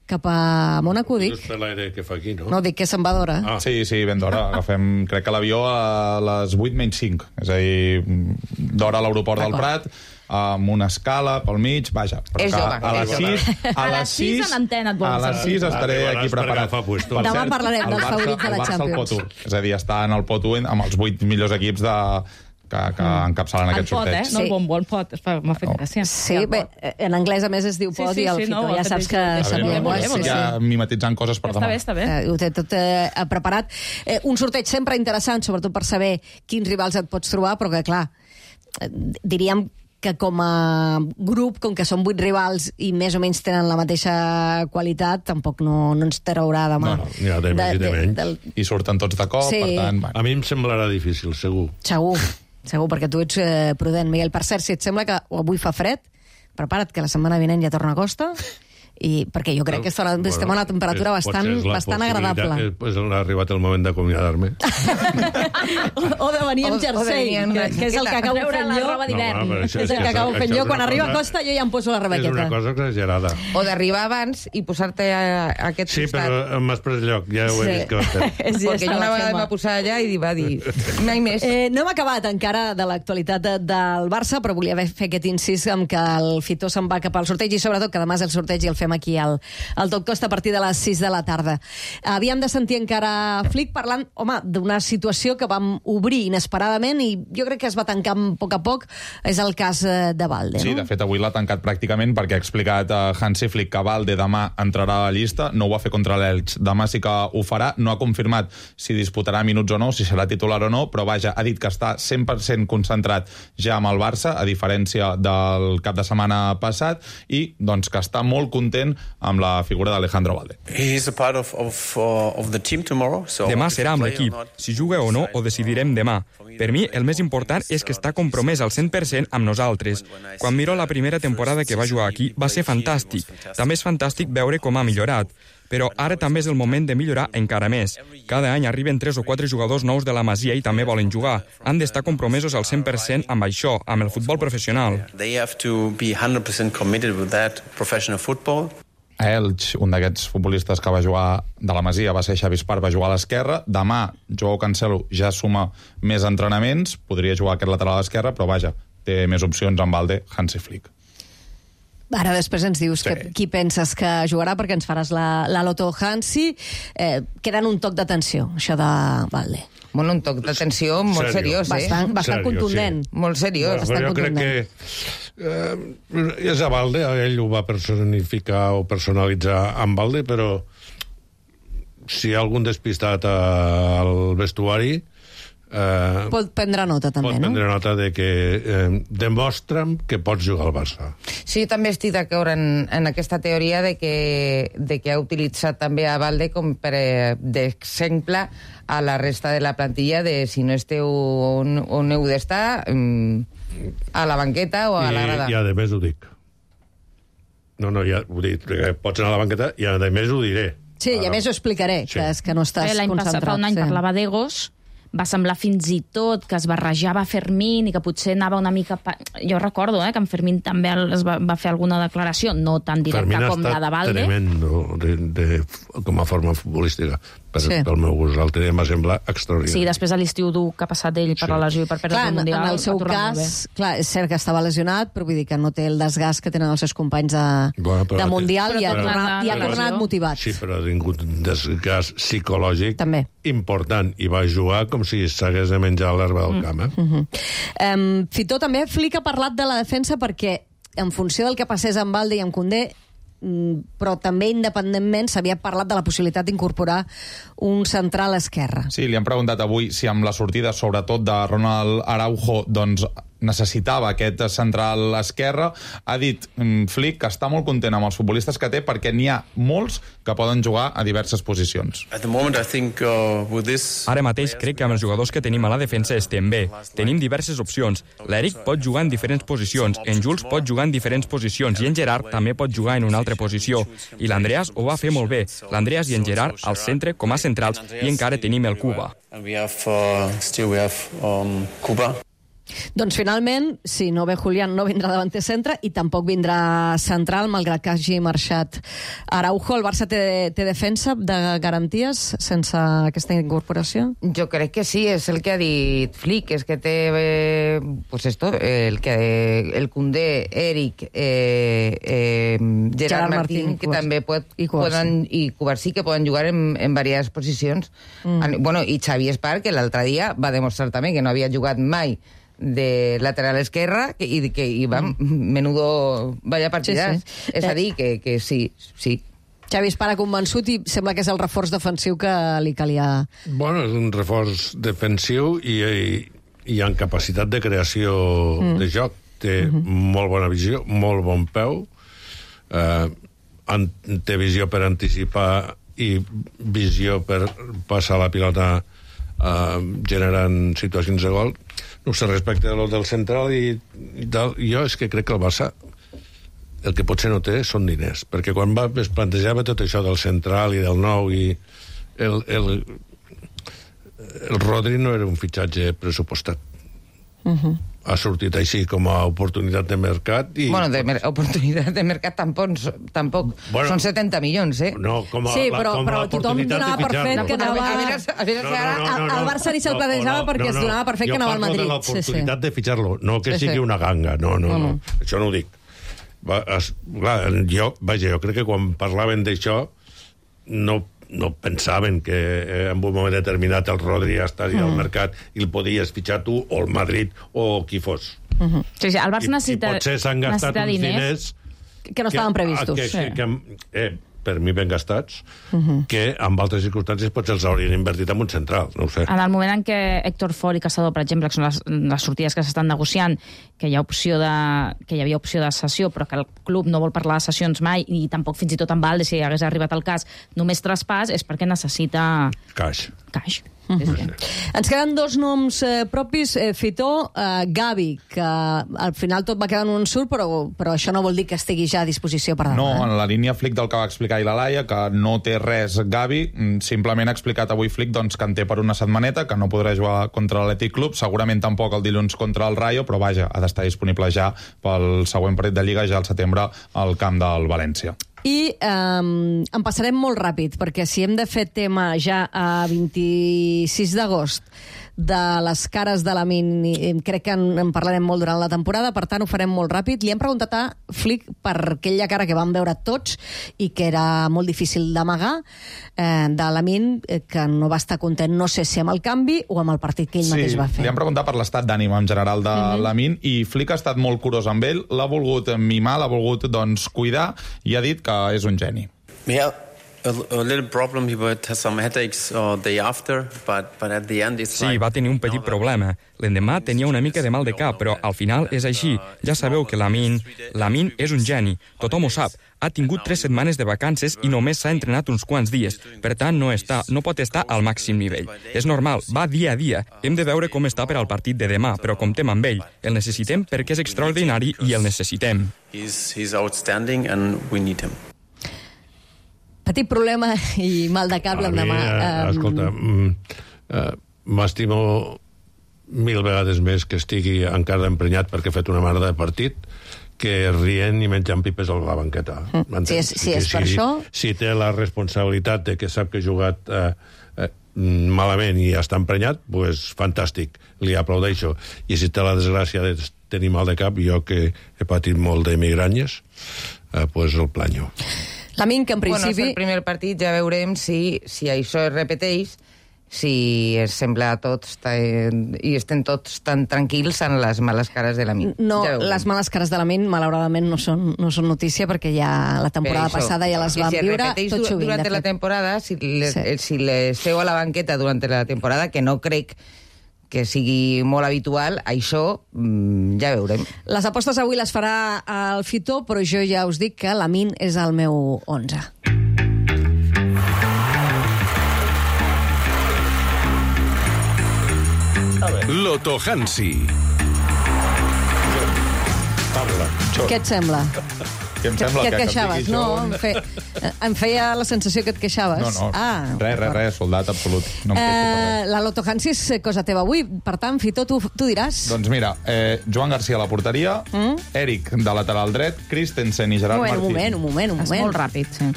Cap a Mònaco, dic. Just per l'aire que fa aquí, no? No, dic que se'n va d'hora. Sí, ben d'hora. Agafem, crec que l'avió a les 8:05. És a dir, d'hora a l'aeroport del Prat, amb una escala pel mig, vaja. És jove. A les 6 en antena et vols a les 6 estaré aquí preparat. Demà parlarem dels favorits de la Champions. El Pot 1. És a dir, està en el Pot 1 amb els 8 millors equips que encapçalen aquest sorteig. No el bombo, el pot. M'ha fet gràcia. Sí, bé, en anglès a més es diu pot i el Fitó. Ja saps que sabíem. Ja mimetitzant coses per demà. Està bé. Ho té tot preparat. Un sorteig sempre interessant, sobretot per saber quins rivals et pots trobar, però que, clar, diríem que com a grup, com que són 8 rivals i més o menys tenen la mateixa qualitat, tampoc no ens traurà demà. No, n'hi ha de més i de menys. I surten tots de cop, per tant... A mi em semblarà difícil, segur. Segur, perquè tu ets prudent, Miguel. Per cert, si et sembla que avui fa fred, prepara't que la setmana vinent ja torna a costa, i perquè jo crec que estem a una temperatura bastant agradable. Pues ha arribat el moment d'acomiadar-me. O de venir amb jersei, que és el que acabo fent jo. És el que acabo fent jo. Quan arriba a costa jo ja em poso la rebequeta. És una cosa exagerada. O d'arribar abans i posar-te a aquest costat. Sí, però m'has pres lloc, ja ho he vist que va fer. Perquè jo una vegada em va posar allà i va dir, mai més. No hem acabat encara de l'actualitat del Barça, però volia fer aquest incís amb que el Fitó se'n va cap al sorteig i sobretot que demà és el sorteig i el fem aquí al Tot Costa a partir de les 6 de la tarda. Havíem de sentir encara Flick parlant, home, d'una situació que vam obrir inesperadament i jo crec que es va tancar a poc, és el cas de Valde, no? Sí, de fet, avui l'ha tancat pràcticament perquè ha explicat Hansi Flick que Valde demà entrarà a la llista, no ho va fer contra l'Elx, demà sí que ho farà, no ha confirmat si disputarà minuts o no, si serà titular o no, però vaja, ha dit que està 100% concentrat ja amb el Barça, a diferència del cap de setmana passat, i doncs que està molt content amb la figura d'Alejandro Valde. Demà serà amb l'equip. Si juga o no, ho decidirem demà. Per mi, el més important és que està compromès al 100% amb nosaltres. Quan miro la primera temporada que va jugar aquí, va ser fantàstic. També és fantàstic veure com ha millorat. Però ara també és el moment de millorar encara més. Cada any arriben 3 o 4 jugadors nous de la Masia i també volen jugar. Han d'estar compromesos al 100% amb això, amb el futbol professional. A Elx, un d'aquests futbolistes que va jugar de la Masia, va ser Xavi Espart, va jugar a l'esquerra. Demà, Joao Cancelo ja suma més entrenaments, podria jugar aquest lateral a l'esquerra, però vaja, té més opcions amb Valde, Hansi Flick. Ara després ens dius qui penses que jugarà, perquè ens faràs la loto Hansi. Queda en un toc d'atenció, això de Valde. Bueno, un toc d'atenció molt seriós, Bastant contundent. Molt seriós. Jo crec que és a Valde, ell ho va personificar o personalitzar amb Valde, però si hi ha algun despistat al vestuari... Pot prendre nota, també, no? Pot prendre nota de que demostra'm que pots jugar al Barça. Sí, també estic d'acord en aquesta teoria de que ha utilitzat també a Valde com per d'exemple a la resta de la plantilla de si no esteu on heu d'estar, a la banqueta o a la grada. I a més ho dic. No, ja ho dic, pots anar a la banqueta i a més ho diré. Sí, i a més ho explicaré, que és que no estàs concentrat. L'any passat, fa un any, parlava d'egos, va semblar fins i tot que es barrejava Fermín i que potser anava una mica... Jo recordo que en Fermín també va fer alguna declaració, no tan directa com la de Valde. Fermín ha estat tremendo com a forma futbolística. Pel meu gust, el tema sembla extraordinari. Sí, després de l'estiu dur que ha passat ell per la lesió i per perdre el Mundial. En el seu cas, clar, és cert que estava lesionat, però vull dir que no té el desgast que tenen els seus companys de Mundial i ha tornat motivat. Sí, però ha tingut un desgast psicològic important i va jugar com si s'hagués de menjar l'herba del camp. Fitó també Flick ha parlat de la defensa perquè en funció del que passés amb Valde i amb Koundé, però també independentment s'havia parlat de la possibilitat d'incorporar un central a esquerra. Sí, li han preguntat avui si amb la sortida sobretot de Ronald Araujo doncs necessitava aquest central a esquerra. Ha dit Flick que està molt content amb els futbolistes que té perquè n'hi ha molts que poden jugar a diverses posicions. Ara mateix crec que amb els jugadors que tenim a la defensa estem bé. Tenim diverses opcions. L'Eric pot jugar en diferents posicions, en Jules pot jugar en diferents posicions i en Gerard també pot jugar en una altra posició. I l'Andreas ho va fer molt bé. L'Andreas i en Gerard al centre com a centrals i encara tenim el Cuba. Doncs finalment, si no ve Julián, no vindrà davanter centre i tampoc vindrà central, malgrat que hagi marxat Araujo. El Barça té defensa de garanties sense aquesta incorporació? Jo crec que sí, és el que ha dit Flick, és que té el Koundé, Eric, Gerard Martín, que també i Cubarsí, que poden jugar en variades posicions. Bueno, i Xavi Espar, que l'altre dia va demostrar també que no havia jugat mai de lateral esquerra i va, menudo vaya partidàs. Sí. És a dir, que sí. Xavi Espar ha convençut i sembla que és el reforç defensiu que li calia. Bueno, és un reforç defensiu i en capacitat de creació de joc. Té molt bona visió, molt bon peu, té visió per anticipar i visió per passar la pilota generant situacions de gol. No sé, respecte a lo del central i tal, jo és que crec que el Barça el que potser no té són diners, perquè quan es plantejava tot això del central i del nou i el Rodri no era un fitxatge pressupostat. Ha sortit així com a oportunitat de mercat i... Bueno, oportunitat de mercat tampoc. Bueno, són 70 milions, eh? No, però tothom donava per fet que anava... El Barça ni se'l plantejava perquè es donava per fet que anava al Madrid. Jo parlo de l'oportunitat de fitxar-lo, no que sigui una ganga, no. Això no ho dic. Jo crec que quan parlaven d'això no pensaven que en un moment determinat el Rodri estaria al mercat i el podies fitxar tu o el Madrid o qui fos. Sí, el Barça necessita diners. I potser s'han gastat uns diners que no estaven previstos. Per mi ben gastats, que amb altres circumstàncies potser els haurien invertit en un central, no ho sé. En el moment en què Héctor Ford i Caçador, per exemple, que són les sortides que s'estan negociant, que hi havia opció de cessió, però que el club no vol parlar de cessions mai, i tampoc fins i tot en Valde, si hagués arribat el cas, només traspàs, és perquè necessita... Caix. Ens queden dos noms propis, Fitó, Gavi, que al final tot va quedar en un surt, però això no vol dir que estigui ja a disposició per demà. No, en la línia Flick del que va explicar ahir la Laia, que no té res Gavi, simplement ha explicat avui Flick doncs, que en té per una setmaneta, que no podrà jugar contra l'Atlètic Club, segurament tampoc el dilluns contra el Rayo, però vaja, ha d'estar disponible ja pel següent partit de Lliga, ja al setembre, al camp del València. I en passarem molt ràpid, perquè si hem de fer tema ja a 26 d'agost de les cares de Lamine, crec que en parlarem molt durant la temporada, per tant ho farem molt ràpid. Li hem preguntat a Flick per aquella cara que vam veure tots i que era molt difícil d'amagar, de Lamine, que no va estar content, no sé si amb el canvi o amb el partit que ell mateix va fer. Sí, li hem preguntat per l'estat d'ànim en general de Lamine i Flick ha estat molt curós amb ell, l'ha volgut mimar, l'ha volgut cuidar i ha dit que és un geni. A little problem, he would have some headaches day after, but at the end it's Sí, va tenir un petit problema. L'endemà tenia una mica de mal de cap, però al final és així. Ja sabeu que Lamine és un geni. Tothom ho sap. Ha tingut 3 setmanes de vacances i només s'ha entrenat uns quants dies. Per tant, no pot estar al màxim nivell. És normal, va dia a dia. Hem de veure com està per al partit de demà, però comptem amb ell. El necessitem perquè és extraordinari i el necessitem. He's outstanding and we need him. Petit problema i mal de cap l'endemà. Escolta, m'estimo 1000 vegades més que estigui encara emprenyat perquè ha fet una merda de partit que rient i menjant pipes a la banqueta. Si és per això... Si té la responsabilitat de que sap que ha jugat malament i està emprenyat, doncs fantàstic, li aplaudeixo. I si té la desgràcia de tenir mal de cap, jo que he patit molt de migranyes, doncs el planyo. Lamine, que en principi... Bueno, és el primer partit, ja veurem si això es repeteix, si es sembla a tots i estem tots tan tranquils en les males cares de Lamine. No, les males cares de Lamine, malauradament, no són notícia, perquè ja la temporada passada ja les vam viure tot sovint. Durant la temporada, si le seu a la banqueta durant la temporada, que no crec que sigui molt habitual, això ja veurem. Les apostes avui les farà el Fitó, però jo ja us dic que Lamine és el meu 11. Loto Hansi. Què et sembla? Que em sembla que et que queixaves, digui no? Em feia la sensació que et queixaves. No, res, soldat absolut. No em queixo per res. La Loto Hansi és cosa teva avui, per tant, Fito, tu diràs. Doncs mira, Joan Garcia a la porteria, Eric de lateral dret, Christensen i Gerard Martín. Un moment. És molt ràpid, sí.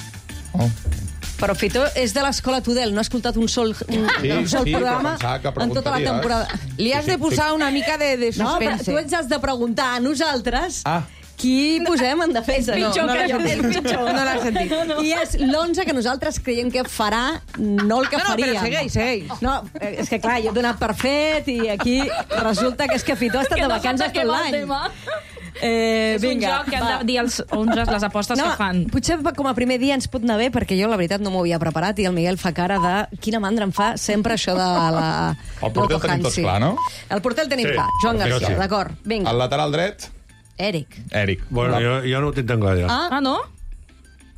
Però Fito és de l'escola Tudel, no ha escoltat un sol programa en tota la temporada. Li has de posar una mica de suspense. No, però tu ens has de preguntar a nosaltres qui posem en defensa. És pitjor que jo. És pitjor. No l'has sentit. I és l'11 que nosaltres creiem que farà, no el que faria. No, però segueix. No, és que clar, jo he donat per fet i aquí resulta que és que Fito ha estat de vacances tot l'any. És un joc que han de dir els 11 les apostes que fan. Potser com a primer dia ens pot anar bé, perquè jo la veritat no m'ho havia preparat i el Miguel fa cara de quina mandra em fa sempre això de la... El porter el tenim tots clar, no? El porter el tenim clar, Joan Garcia, d'acord. Vinga. El lateral dret? Eric. Bueno, jo no ho tinc tan clar, ja. Ah, no?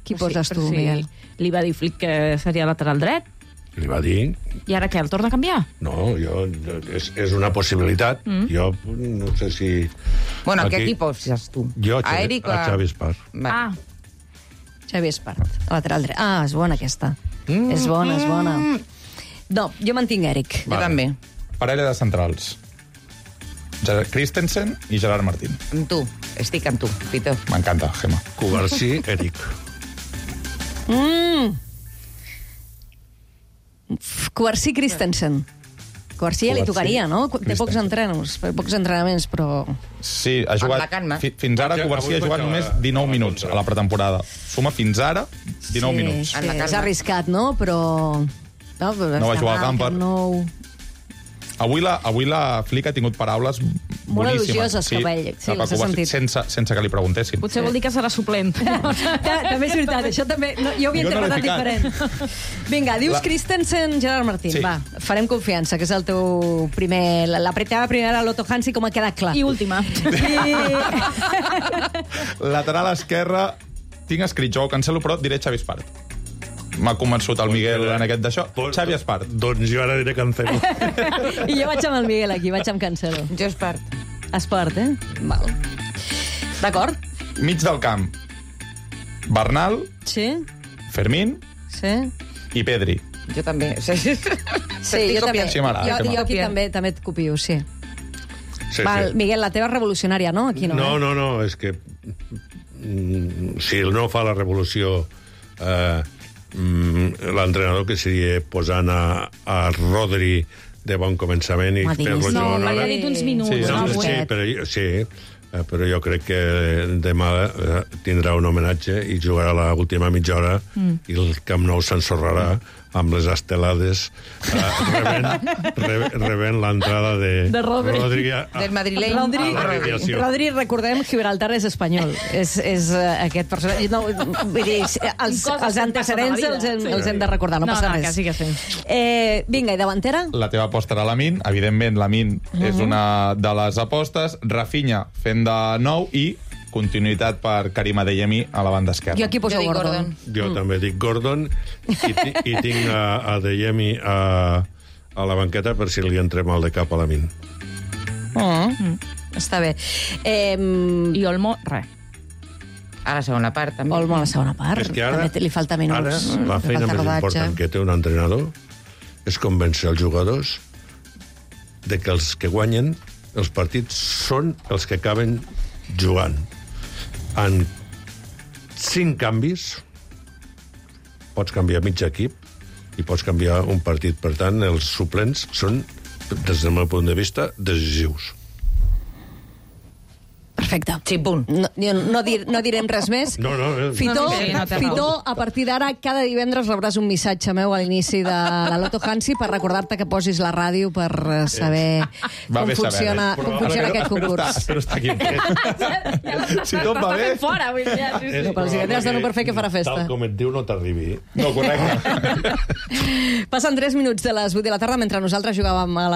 Qui poses tu, Miguel? Li va dir Flick que seria lateral dret. Li va dir... I ara què, el torna a canviar? No, és una possibilitat. Jo no sé si... Bueno, què equip poses tu? Jo, a Xavi Espart. Xavi Espart, lateral dret. És bona aquesta. És bona. No, jo mantinc Eric. Jo també. Parella de centrals. Christensen i Gerard Martín. Amb tu, estic amb tu, Fito. M'encanta, Gemma. Cubarsí, Eric. Cubarsí, Christensen. Cubarsí ja li tocaria, no? Té pocs entrenaments, però... Sí, ha jugat... Fins ara Cubarsí ha jugat només 19 minuts a la pretemporada. Suma fins ara 19 minuts. Sí, és arriscat, no? Però... No va jugar al Camper. Avui la Flick ha tingut paraules molt boníssimes. elogioses cap a ell. Sí, les he sentit. Sense que li preguntessin. Potser vol dir que serà suplent. També és veritat, això també... Jo ho havia interpretat diferent. Vinga, dius Christensen, Gerard Martín. Va, farem confiança, que és el teu primer... La teva primera Loto Hansi, com ha quedat clar. I última. Lateral esquerra, tinc escrit Joao Cancelo, però diré Xavi Espart. M'ha convençut el Miguel en aquest d'això. Xavi Espart. Doncs jo ara diré Cancelo. I jo vaig amb el Miguel aquí, vaig amb Cancelo. Jo Espart. Espart, Val. D'acord. Mig del camp. Bernal. Sí. Fermín. Sí. I Pedri. Jo també. Sí, jo també. Jo aquí també et copio, sí. Val, Miguel, la teva revolucionària, no? Aquí no. No, és que si no fa la revolució l'entrenador que seria posant a Rodri de bon començament i fer-lo jugar. No, l'havia dit uns minuts. Però jo crec que demà tindrà un homenatge i jugarà l'última mitja hora i el Camp Nou s'ensorrarà amb les estelades rebent l'entrada de Rodri del madrileny. Rodri, recordem, Gibraltar és espanyol. És aquest personatge. No, vull dir, els antecedents els hem de recordar, no passa res. Vinga, i davantera? La teva aposta era Lamine. Evidentment, Lamine és una de les apostes. Rafinha fent de nou i continuïtat per Karim Adeyemi a la banda esquerra. Jo aquí poso Gordon. Jo també dic Gordon i tinc Adeyemi a la banqueta per si li entrem mal de cap a Lamine. Està bé. I Olmo, res. A la segona part, també. Olmo a la segona part. És que ara, li falta minuts. Ara, la feina més important que té un entrenador és convèncer els jugadors de que els que guanyen els partits són els que acaben jugant. En 5 canvis pots canviar mig equip i pots canviar un partit. Per tant, els suplents són, des del meu punt de vista, decisius. Perfecte. Sí, punt. No direm res més. Fito, a partir d'ara, cada divendres rebràs un missatge meu a l'inici de la Loto Hansi per recordar-te que posis la ràdio per saber com funciona aquest concurs. Espero estar aquí. Si tot va bé... Però els divendres dono per fer que farà festa. Tal com et diu, no t'arribi. No, correcte. Passen 3 minuts de les 8 de la tarda, mentre nosaltres jugàvem a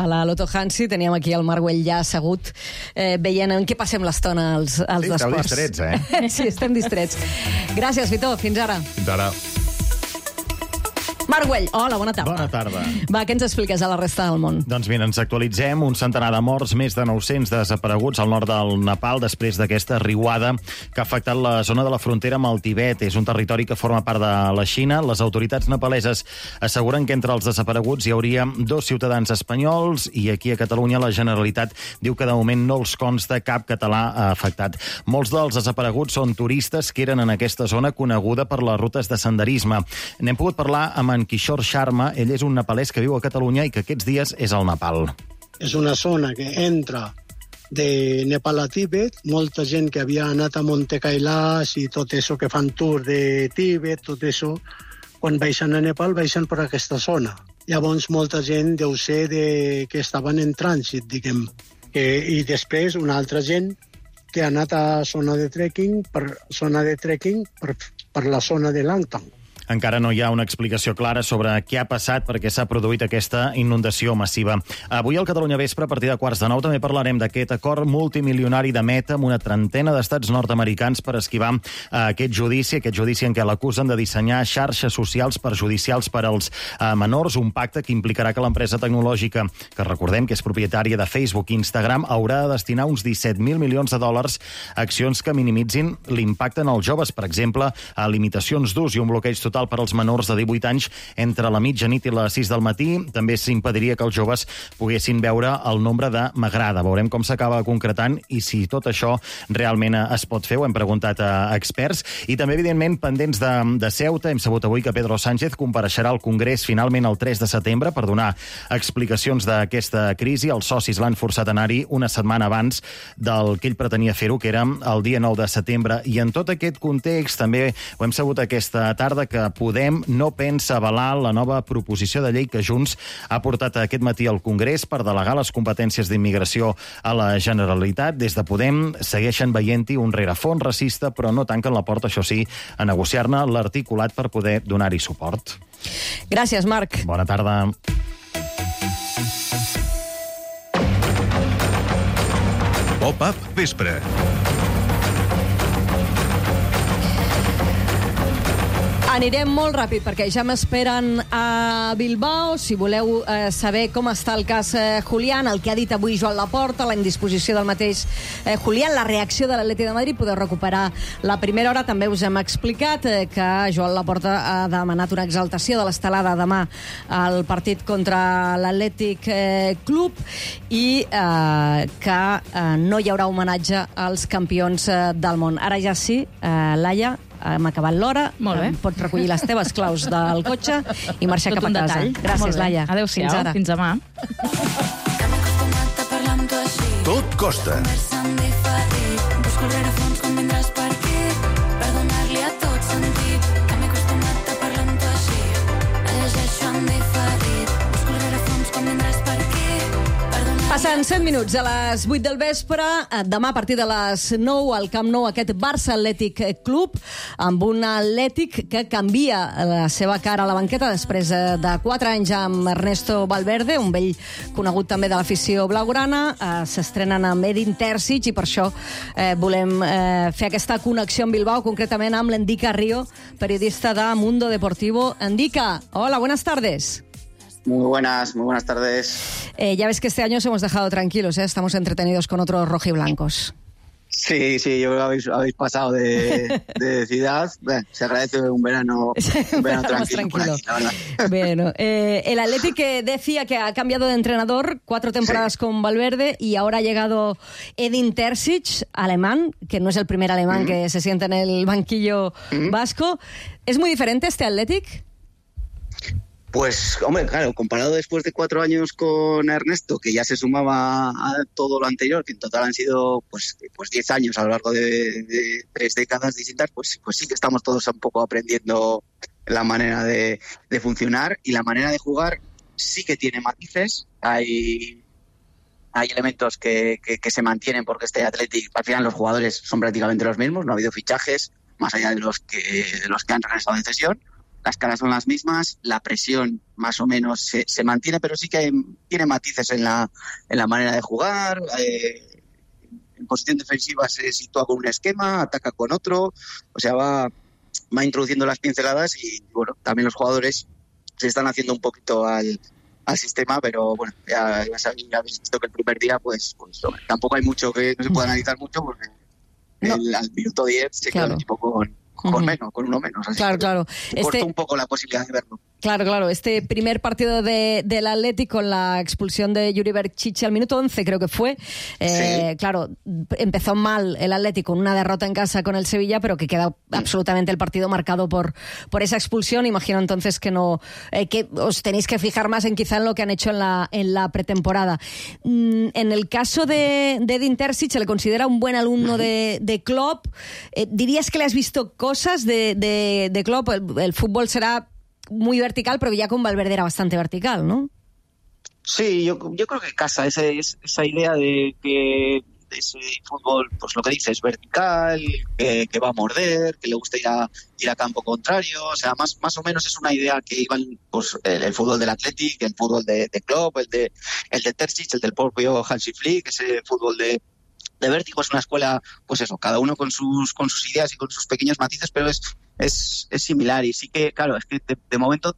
la Loto Hansi, teníem aquí el Marc ja assegut, veient en què passem l'estona als d'esports. Esteu distrets, Sí, estem distrets. Gràcies, Fito. Fins ara. Fins ara. Marc Güell, hola, bona tarda. Bona tarda. Va, què ens expliques a la resta del món? Doncs mira, ens actualitzem. Un centenar de morts, més de 900 desapareguts al nord del Nepal després d'aquesta riuada que ha afectat la zona de la frontera amb el Tibet. És un territori que forma part de la Xina. Les autoritats nepaleses asseguren que entre els desapareguts hi hauria 2 ciutadans espanyols i aquí a Catalunya la Generalitat diu que de moment no els consta cap català afectat. Molts dels desapareguts són turistes que eren en aquesta zona coneguda per les rutes de senderisme. N'hem pogut parlar amb en Kishore Sharma. Ell és un nepalès que viu a Catalunya i que aquests dies és al Nepal. És una zona que entra de Nepal a Tíbet, molta gent que havia anat a Monte Kailash i tot això que fan tour de Tíbet, tot això, quan baixen a Nepal, baixen per aquesta zona. Llavors, molta gent deu ser que estaven en trànsit, diguem. I després, una altra gent que ha anat a zona de trekking per la zona de Langtang. Encara no hi ha una explicació clara sobre què ha passat perquè s'ha produït aquesta inundació massiva. Avui al Catalunya Vespre, a partir de 8:45, també parlarem d'aquest acord multimilionari de Meta amb una trentena d'estats nord-americans per esquivar aquest judici en què l'acusen de dissenyar xarxes socials perjudicials per als menors, un pacte que implicarà que l'empresa tecnològica, que recordem que és propietària de Facebook i Instagram, haurà de destinar uns 17.000 milions de dòlars a accions que minimitzin l'impacte en els joves, per exemple, a limitacions d'ús i un bloqueig total per als menors de 18 anys entre la mitjanit i les 6 del matí. També s'impediria que els joves poguessin veure el nombre de m'agrada. Veurem com s'acaba concretant i si tot això realment es pot fer. Ho hem preguntat a experts. I també, evidentment, pendents de Ceuta. Hem sabut avui que Pedro Sánchez compareixerà al Congrés finalment el 3 de setembre per donar explicacions d'aquesta crisi. Els socis l'han forçat a anar-hi una setmana abans del que ell pretenia fer-ho, que era el dia 9 de setembre. I en tot aquest context també ho hem sabut aquesta tarda que Podem no pensa avalar la nova proposició de llei que Junts ha portat aquest matí al Congrés per delegar les competències d'immigració a la Generalitat. Des de Podem segueixen veient-hi un rerefons racista, però no tanquen la porta, això sí, a negociar-ne l'articulat per poder donar-hi suport. Gràcies, Marc. Bona tarda. Pop-up Vespre. Anirem molt ràpid perquè ja m'esperen a Bilbao. Si voleu saber com està el cas Julián, el que ha dit avui Joan Laporta, la indisposició del mateix Julián, la reacció de l'Atlètic de Madrid, podeu recuperar la primera hora. També us hem explicat que Joan Laporta ha demanat una exaltació de l'estelada demà al partit contra l'Atlètic Club i que no hi haurà homenatge als campions del món. Ara ja sí, Laia, hem acabat l'hora. Molt bé. Pots recollir les teves claus del cotxe i marxar cap a casa. Gràcies, Laia. Adéu-siau. Fins ara. Fins demà. Tot costa. Busco el rerefons quan vindràs per aquí per donar-li a tot sentit que m'he acostumat a parlar amb tu així. La llegeixo en diferit. Busco el rerefons quan vindràs per aquí. Passen 7 minuts a les 8 del vespre. Demà a partir de les 9 al Camp Nou aquest Barça Atlètic Club amb un Atlètic que canvia la seva cara a la banqueta després de 4 anys amb Ernesto Valverde, un vell conegut també de l'afició blaugrana. S'estrenen amb Edin Terzic i per això volem fer aquesta connexió amb Bilbao, concretament amb l'Endica Río, periodista de Mundo Deportivo. Endica, hola, buenas tardes. Muy buenas tardes. Ya ves que este año os hemos dejado tranquilos, ¿eh? Estamos entretenidos con otros rojiblancos. Sí, yo creo que habéis pasado de ciudad. Bueno, se agradece un verano tranquilo por aquí, la verdad. Bueno, el Athletic decía que ha cambiado de entrenador, 4 temporadas con Valverde y ahora ha llegado Edin Terzic, alemán, que no es el primer alemán que se sienta en el banquillo vasco. ¿Es muy diferente este Athletic? Pues, hombre, claro, comparado después de 4 años con Ernesto, que ya se sumaba a todo lo anterior, que en total han sido pues 10 años a lo largo de 3 décadas distintas, pues sí que estamos todos un poco aprendiendo la manera de funcionar, y la manera de jugar sí que tiene matices. Hay elementos que se mantienen porque este Athletic, al final los jugadores son prácticamente los mismos, no ha habido fichajes más allá de los que han regresado de cesión. Las caras son las mismas, la presión más o menos se mantiene, pero sí que tiene matices en la manera de jugar. En posición defensiva se sitúa con un esquema, ataca con otro, o sea, va introduciendo las pinceladas y, bueno, también los jugadores se están haciendo un poquito al sistema, pero bueno, ya habéis visto que el primer día, pues tampoco hay mucho que no se pueda analizar mucho, porque al minuto 10 se queda el equipo con uno menos. Así claro. Corta un poco la posibilidad de verlo. Claro. Este primer partido del Atlético con la expulsión de Yuri Berchiche al minuto 11, creo que fue. Sí. Claro, empezó mal el Atlético con una derrota en casa con el Sevilla, pero que queda absolutamente el partido marcado por esa expulsión. Imagino entonces que no que os tenéis que fijar más quizá en lo que han hecho en la pretemporada. En el caso de Edin Terzic, se le considera un buen alumno de Klopp. ¿Dirías que le has visto cosas de Klopp? El fútbol será muy vertical, pero ya con Valverde era bastante vertical, ¿no? Sí, yo creo que casa esa idea de que ese fútbol, pues lo que dices, vertical, que va a morder, que le gusta ir a campo contrario, o sea, más o menos es una idea que iban, pues el fútbol del Athletic, el fútbol de Klopp, el de Terzic, el del propio Hansi Flick, ese fútbol de vértigo. Es una escuela, pues eso, cada uno con sus ideas y con sus pequeños matices, pero es similar. Y sí que, claro, es que de momento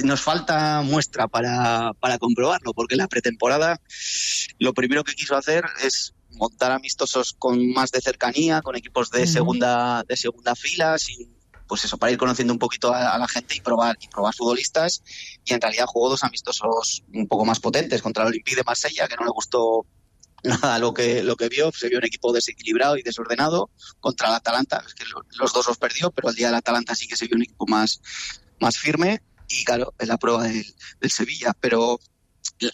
nos falta muestra para comprobarlo, porque la pretemporada lo primero que quiso hacer es montar amistosos con más de cercanía, con equipos de segunda fila, pues eso, para ir conociendo un poquito a la gente y probar futbolistas. Y en realidad jugó 2 amistosos un poco más potentes contra el Olympique de Marsella, que no le gustó nada lo que vio. Se vio un equipo desequilibrado y desordenado. Contra el Atalanta, es que los 2 los perdió, pero el día del Atalanta sí que se vio un equipo más firme. Y claro, es la prueba del Sevilla, pero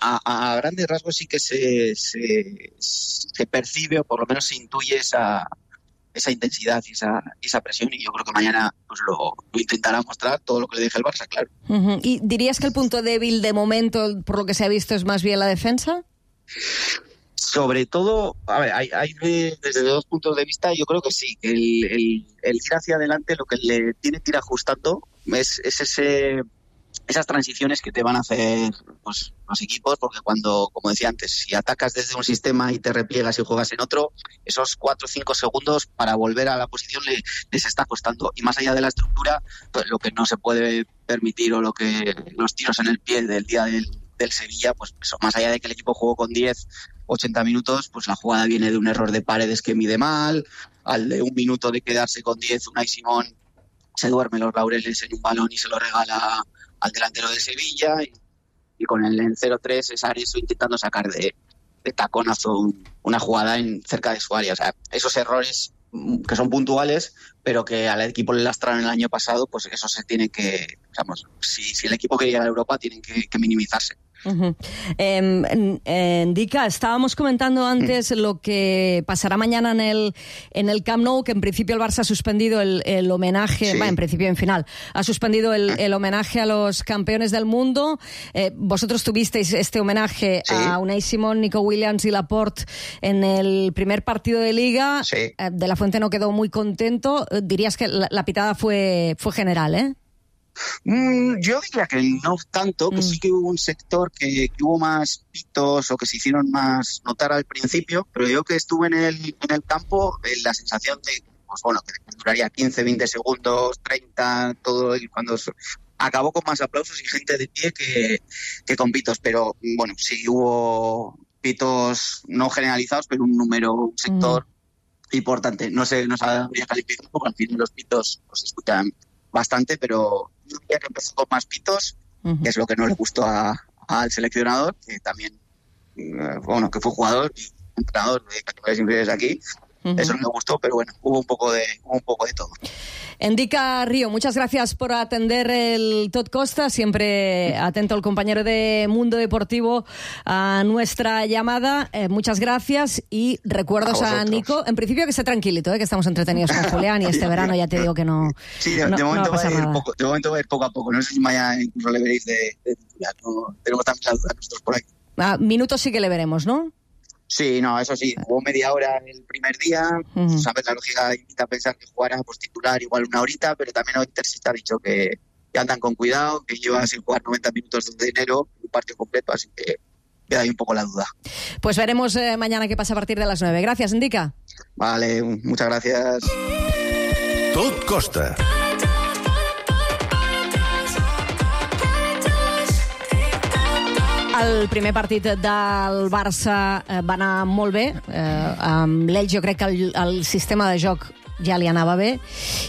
a grandes rasgos sí que se percibe, o por lo menos se intuye esa intensidad y esa presión, y yo creo que mañana pues lo intentará mostrar todo lo que le deje el Barça, claro. ¿Y dirías que el punto débil de momento, por lo que se ha visto, es más bien la defensa? Sobre todo, a ver, hay desde 2 puntos de vista. Yo creo que sí, que el ir hacia adelante, lo que le tiene que ir ajustando es esas transiciones que te van a hacer pues los equipos, porque cuando, como decía antes, si atacas desde un sistema y te repliegas y juegas en otro, esos 4 o 5 segundos para volver a la posición les está costando. Y más allá de la estructura, pues lo que no se puede permitir, o lo que los tiros en el pie del día del Sevilla, pues eso, más allá de que el equipo jugó con 80 minutos, pues la jugada viene de un error de Paredes que mide mal, al de 1 minuto de quedarse con 10, Unai Simón se duerme los laureles en un balón y se lo regala al delantero de Sevilla, y con el 0-3 es Areso intentando sacar de taconazo una jugada cerca de su área. O sea, esos errores que son puntuales, pero que al equipo le lastraron el año pasado, pues eso se tiene que, digamos, si el equipo quiere llegar a Europa, tienen que minimizarse. Ndica, estábamos comentando antes lo que pasará mañana en el Camp Nou, que en principio el Barça ha suspendido el homenaje, en principio en final, ha suspendido el homenaje a los campeones del mundo. Vosotros tuvisteis este homenaje a Unai Simón, Nico Williams y Laporte en el primer partido de Liga. De la Fuente no quedó muy contento. Dirías que la pitada fue general, ¿eh? Yo diría que no tanto, que sí que hubo un sector que hubo más pitos o que se hicieron más notar al principio, pero yo que estuve en el campo, la sensación de, pues bueno, que duraría 15, 20 segundos, 30, todo, y cuando acabó con más aplausos y gente de pie que con pitos, pero bueno, sí hubo pitos no generalizados, pero un sector importante. No sabría calificar, porque al final los pitos se escuchan bastante, pero yo diría que empezó con más pitos, que es lo que no le gustó al seleccionador, que también, que fue jugador y entrenador de categorías inferiores aquí. Eso no me gustó, pero bueno, hubo un poco de todo. Ndica Río, muchas gracias por atender el Tot Costa, siempre atento el compañero de Mundo Deportivo a nuestra llamada. Muchas gracias y recuerdos a Nico. En principio que esté tranquilito, que estamos entretenidos con Julián, y este verano ya te digo que no. Sí, de momento va a ir poco a poco. No sé si mañana incluso le veréis de titular. No, tenemos también la duda nosotros por aquí. Minutos sí que le veremos, ¿no? Sí, no, eso sí, jugó media hora el primer día, sabes, la lógica invita a pensar que jugará pues titular igual una horita, pero también hoy Terzic ha dicho que andan con cuidado, que lleva sin jugar 90 minutos desde enero, un partido completo, así que queda ahí un poco la duda. Pues veremos mañana qué pasa a partir de las 9. Gracias, Ndica. Vale, muchas gracias. Tot Costa. El primer partit del Barça va anar molt bé. Amb l'Elx jo crec que el sistema de joc ja li anava bé,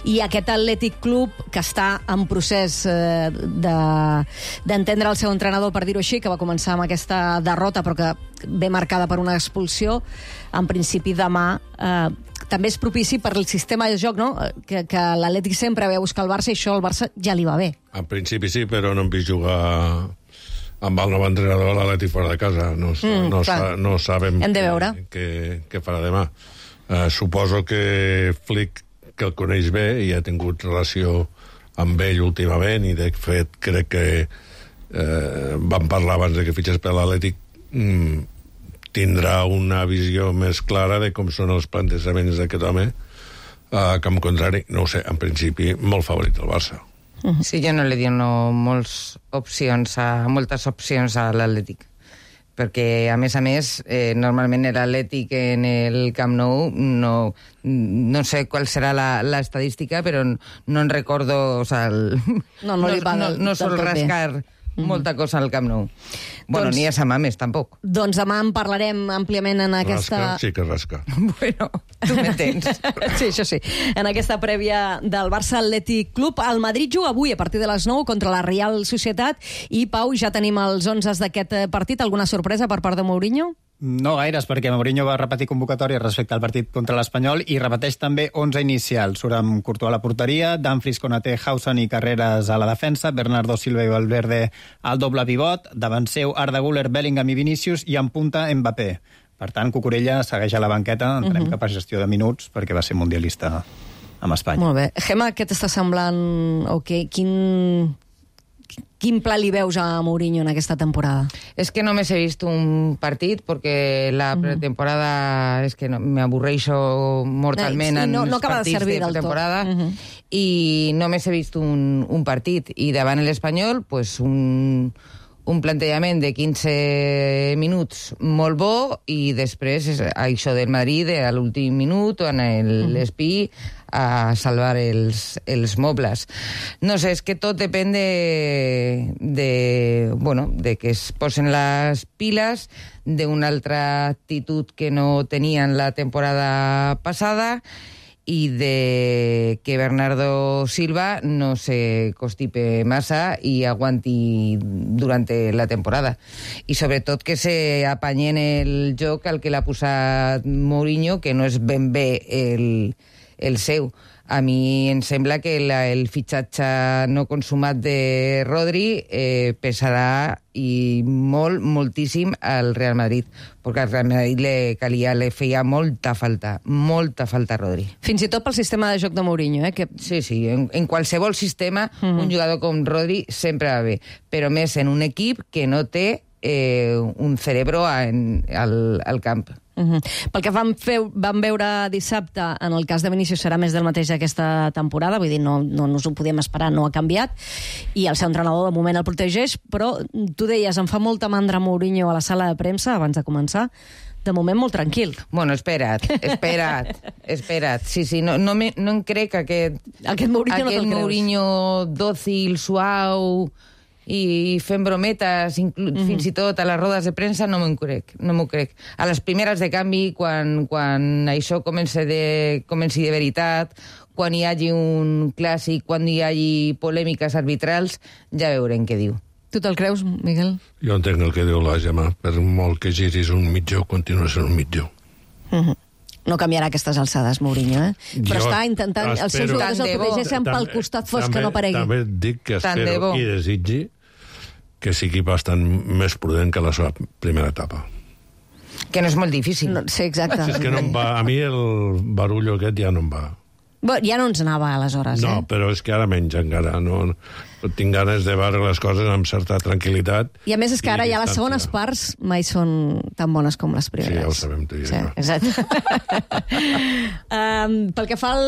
i aquest Atlètic Club, que està en procés d'entendre el seu entrenador, per dir-ho així, que va començar amb aquesta derrota, però que ve marcada per una expulsió, en principi demà també és propici per el sistema de joc, no? Que l'Atlètic sempre ve a buscar el Barça, i això al Barça ja li va bé. En principi sí, però no hem vist jugar amb el nou entrenador a l'Atlètic fora de casa. No sabem què farà demà. Suposo que Flick, que el coneix bé i ha tingut relació amb ell últimament, i de fet crec que vam parlar abans de que fitxés per l'Atlètic, tindrà una visió més clara de com són els plantejaments d'aquest home, que en contrari, no ho sé, en principi molt favorit el Barça. Sí, jo no li dono moltes opcions a l'Atlètic, perquè, a més, normalment l'Atlètic en el Camp Nou, no sé qual serà l'estadística, però no en recordo, no sol rascar molta cosa al Camp Nou. Bueno, ni a Samames, tampoc. Doncs demà en parlarem àmpliament en aquesta... Rasca, sí que rasca. Bueno, tu m'entens. Sí, això sí. En aquesta prèvia del Barça Atlètic Club, el Madrid juga avui a partir de les 9 contra la Real Societat, i, Pau, ja tenim els 11 d'aquest partit. Alguna sorpresa per part de Mourinho? No gaires, perquè Mourinho va repetir convocatòria respecte al partit contra l'Espanyol i repeteix també 11 inicials. Surt amb Courtois a la porteria, Dumfries, Konaté, Hausen i Carreras a la defensa, Bernardo Silva i Valverde al doble pivot, davant seu Arda Güler, Bellingham i Vinícius, i en punta Mbappé. Per tant, Cucurella segueix a la banqueta, entenem que per gestió de minuts, perquè va ser mundialista amb Espanya. Molt bé. Gemma, què t'està semblant? Quin pla li veus a Mourinho en aquesta temporada? Es que només he vist un partit, perquè la pretemporada es que me avorreixo mortalment en els partits de pretemporada, i només he vist un partit, i davant l'Espanyol, pues un plantejament de 15 minuts molt bo, i després això del Madrid a l'últim minut, en l'espí, a salvar els mobles. No sé, és que tot depèn de que es posen les piles, d'una altra actitud que no tenien la temporada passada, i de que Bernardo Silva no se constipe massa i aguanti durant la temporada. I sobretot que se apanyen el joc al que l'ha posat Mourinho, que no és ben bé el seu. A mi em sembla que el fitxatge no consumat de Rodri pesarà i moltíssim al Real Madrid, perquè al Real Madrid le feia molta falta Rodri. Fins i tot pel sistema de joc de Mourinho, que... Sí, en qualsevol sistema un jugador com Rodri sempre va bé, però més en un equip que no té un cerebro al camp. Pel que vam veure dissabte, en el cas de Vinícius serà més del mateix aquesta temporada, vull dir, no ens ho podíem esperar, no ha canviat, i el seu entrenador de moment el protegeix, però tu deies, em fa molta mandra Mourinho a la sala de premsa abans de començar, de moment molt tranquil. Bueno, espera't. Sí, no em crec aquest Mourinho dòcil, suau, i fent brometes, fins i tot a les rodes de premsa, no m'ho crec. A les primeres de canvi, quan això comenci de veritat, quan hi hagi un clàssic, quan hi hagi polèmiques arbitrals, ja veurem què diu. Tu te'l creus, Miguel? Jo entenc el que diu la Gemma. Per molt que giris un mitjó, continua sent un mitjó. No canviarà aquestes alçades, Mourinho, però està intentant... Els seus jugadors el protegeixen pel costat fosc, que no aparegui. També dic que espero i desitgi que sigui bastant més prudent que la seva primera etapa. Que no és molt difícil. Sí, exacte. És que no em va... A mi el barullo aquest ja no em va. Ja no ens anava, aleshores, No, però és que ara menys encara. No tinc ganes de veure les coses amb certa tranquil·litat. I a més és que ara ja les segones parts mai són tan bones com les primeres. Sí, ja ho sabem tu i jo. Exacte. Pel que fa a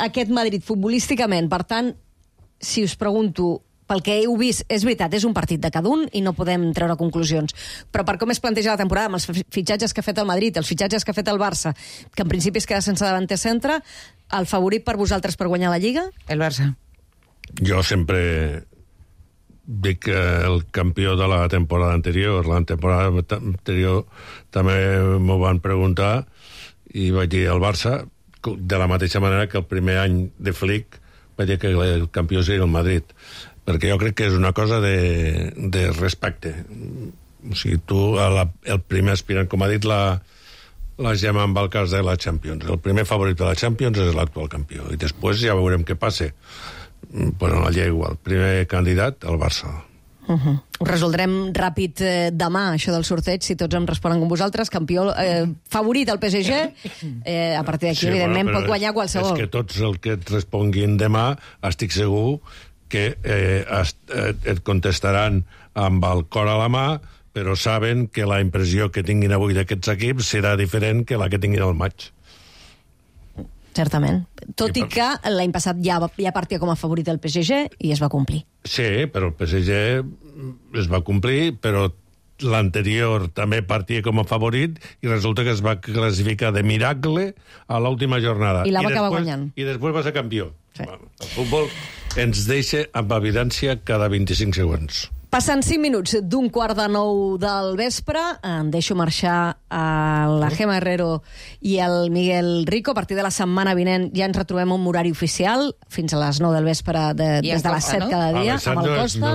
aquest Madrid futbolísticament, per tant, si us pregunto, pel que heu vist, és veritat, és un partit de cada un i no podem treure conclusions, però per com es planteja la temporada, amb els fitxatges que ha fet el Madrid, els fitxatges que ha fet el Barça, que en principi es queda sense davanter centre, el favorit per vosaltres per guanyar la Lliga? El Barça. Jo sempre dic que el campió de la temporada anterior també m'ho van preguntar i vaig dir el Barça, de la mateixa manera que el primer any de Flick vaig dir que el campió seria el Madrid, perquè jo crec que és una cosa de respecte. O sigui, tu, el primer aspirant, com ha dit la Gemma amb el cas de la Champions, el primer favorit de la Champions és l'actual campió, i després ja veurem què passa. Però la llei igual, primer candidat, el Barça. Ho resoldrem ràpid demà, això del sorteig, si tots em responen com vosaltres. Campió favorit el PSG, a partir d'aquí, evidentment, pot guanyar qualsevol. És que tots el que et responguin demà, estic segur que et contestaran amb el cor a la mà, però saben que la impressió que tinguin avui d'aquests equips serà diferent que la que tinguin al maig. Certament. Tot i que l'any passat ja partia com a favorit el PSG i es va complir. Sí, però el PSG es va complir, però l'anterior també partia com a favorit i resulta que es va classificar de miracle a l'última jornada. I la va acabar guanyant. I després va ser campió. Sí. El futbol ens deixa amb evidència cada 25 segons. Passen 5 minuts d'un 8:45 del vespre. Em deixo marxar a la Gemma Herrero i el Miguel Rico. A partir de la setmana vinent ja ens retrobem un horari oficial, fins a les 9 del vespre, des de les 7 cada dia, amb el Costa.